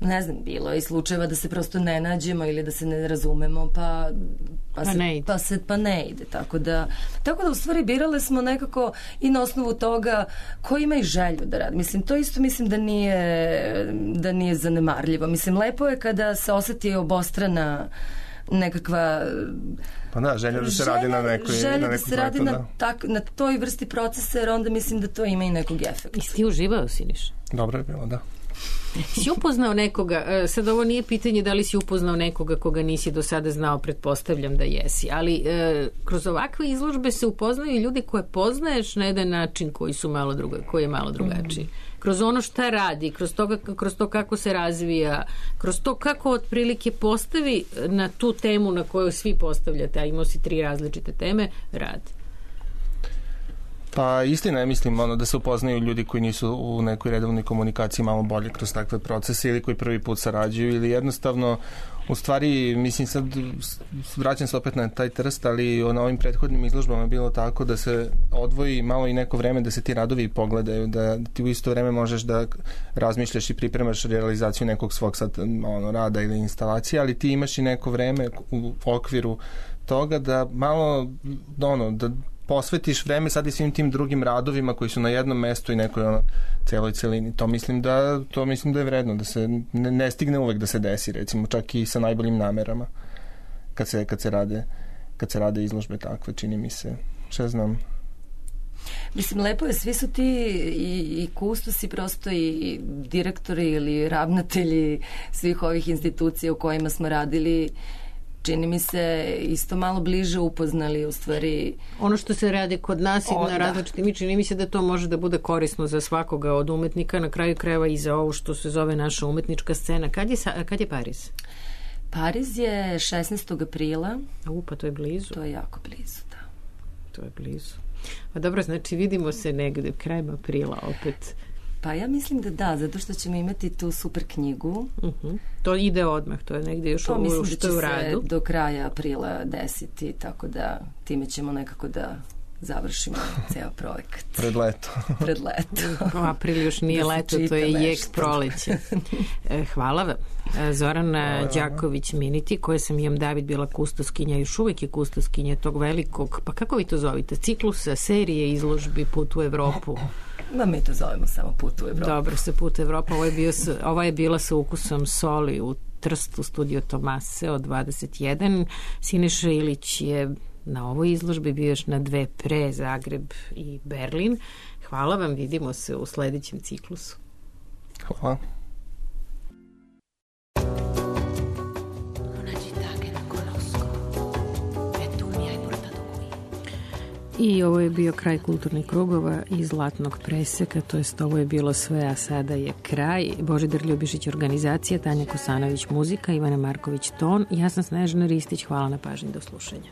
ne znam, bilo je i slučajeva da se prosto ne nađemo ili da se ne razumemo, pa ne ide. Tako da u stvari birale smo nekako i na osnovu toga ko ima i želju da radi. Mislim, to isto mislim da nije zanemarljivo. Mislim, lepo je kada se oseti obostrana nekakva želja da se radi na nekoj želja da se radi na toj vrsti procesa, jer onda mislim da to ima i nekog efekta. I ti uživao, Siniša? Dobro je bilo, da. Si upoznao nekoga, sad ovo nije pitanje da li si upoznao nekoga koga nisi do sada znao, pretpostavljam da jesi, ali kroz ovakve izložbe se upoznaju ljudi koje poznaješ na jedan način koji je malo drugačiji. Kroz ono šta radi, kroz to kako se razvija, kroz to kako otprilike postavi na tu temu na koju svi postavljate, a imao si 3 različite teme, rad. Pa istina je, mislim, da se upoznaju ljudi koji nisu u nekoj redovnoj komunikaciji malo bolje kroz takve procese ili koji prvi put sarađuju ili jednostavno, u stvari, mislim, sad vraćam se opet na taj Trst, ali na ovim prethodnim izložbama je bilo tako da se odvoji malo i neko vreme da se ti radovi pogledaju, da ti u isto vreme možeš da razmišljaš i pripremaš realizaciju nekog svog sad rada ili instalacije, ali ti imaš i neko vreme u okviru toga da malo da posvetiš vreme sad i svim tim drugim radovima koji su na jednom mestu i nekoj celoj celini. To mislim da je vredno, da se ne stigne uvek da se desi, recimo, čak i sa najboljim namerama kad se rade izložbe takve, čini mi se. Šta znam. Mislim, lepo je, svi su ti i kustosi, prosto i direktori ili ravnatelji svih ovih institucija u kojima smo radili, čini mi se isto malo bliže upoznali u stvari. Ono što se radi kod nas i na različitim, čini mi se da to može da bude korisno za svakoga od umetnika, na kraju krajeva i za ovo što se zove naša umetnička scena. Kad je Pariz? Pariz je 16. aprila. Pa to je blizu. To je jako blizu, da. To je blizu. A dobro, znači vidimo se negde krajem aprila opet. Pa ja mislim da, zato što ćemo imati tu super knjigu. To ide odmah, to je negde još što je u radu. Mislim da će se do kraja aprila desiti, tako da time ćemo nekako da završimo ceo projekat. Pred leto. April još nije leto, to je jek proleće. Hvala vam. Zorana Đaković-Miniti, koja sam Jem David bila kustoskinja, još uvijek je kustoskinja tog velikog, pa kako vi to zovite, ciklusa, serije izložbi Put u Evropu. Mi to zovemo samo Put u Evropu. Dobro, se Put u Evropu. Ova je bila sa ukusom soli u Trstu, studio Tomase od 21. Siniša Ilić je na ovoj izložbi, bio još na 2 pre, Zagreb i Berlin. Hvala vam, vidimo se u sledećem ciklusu. Hvala. I ovo je bio kraj kulturnih krugova i Zlatnog preseka, to jest ovo je bilo sve, a sada je kraj. Božidar Ljubišić organizacija, Tanja Kosanović muzika, Ivana Marković ton, ja sam Snežana Ristić, hvala na pažnji, do slušanja.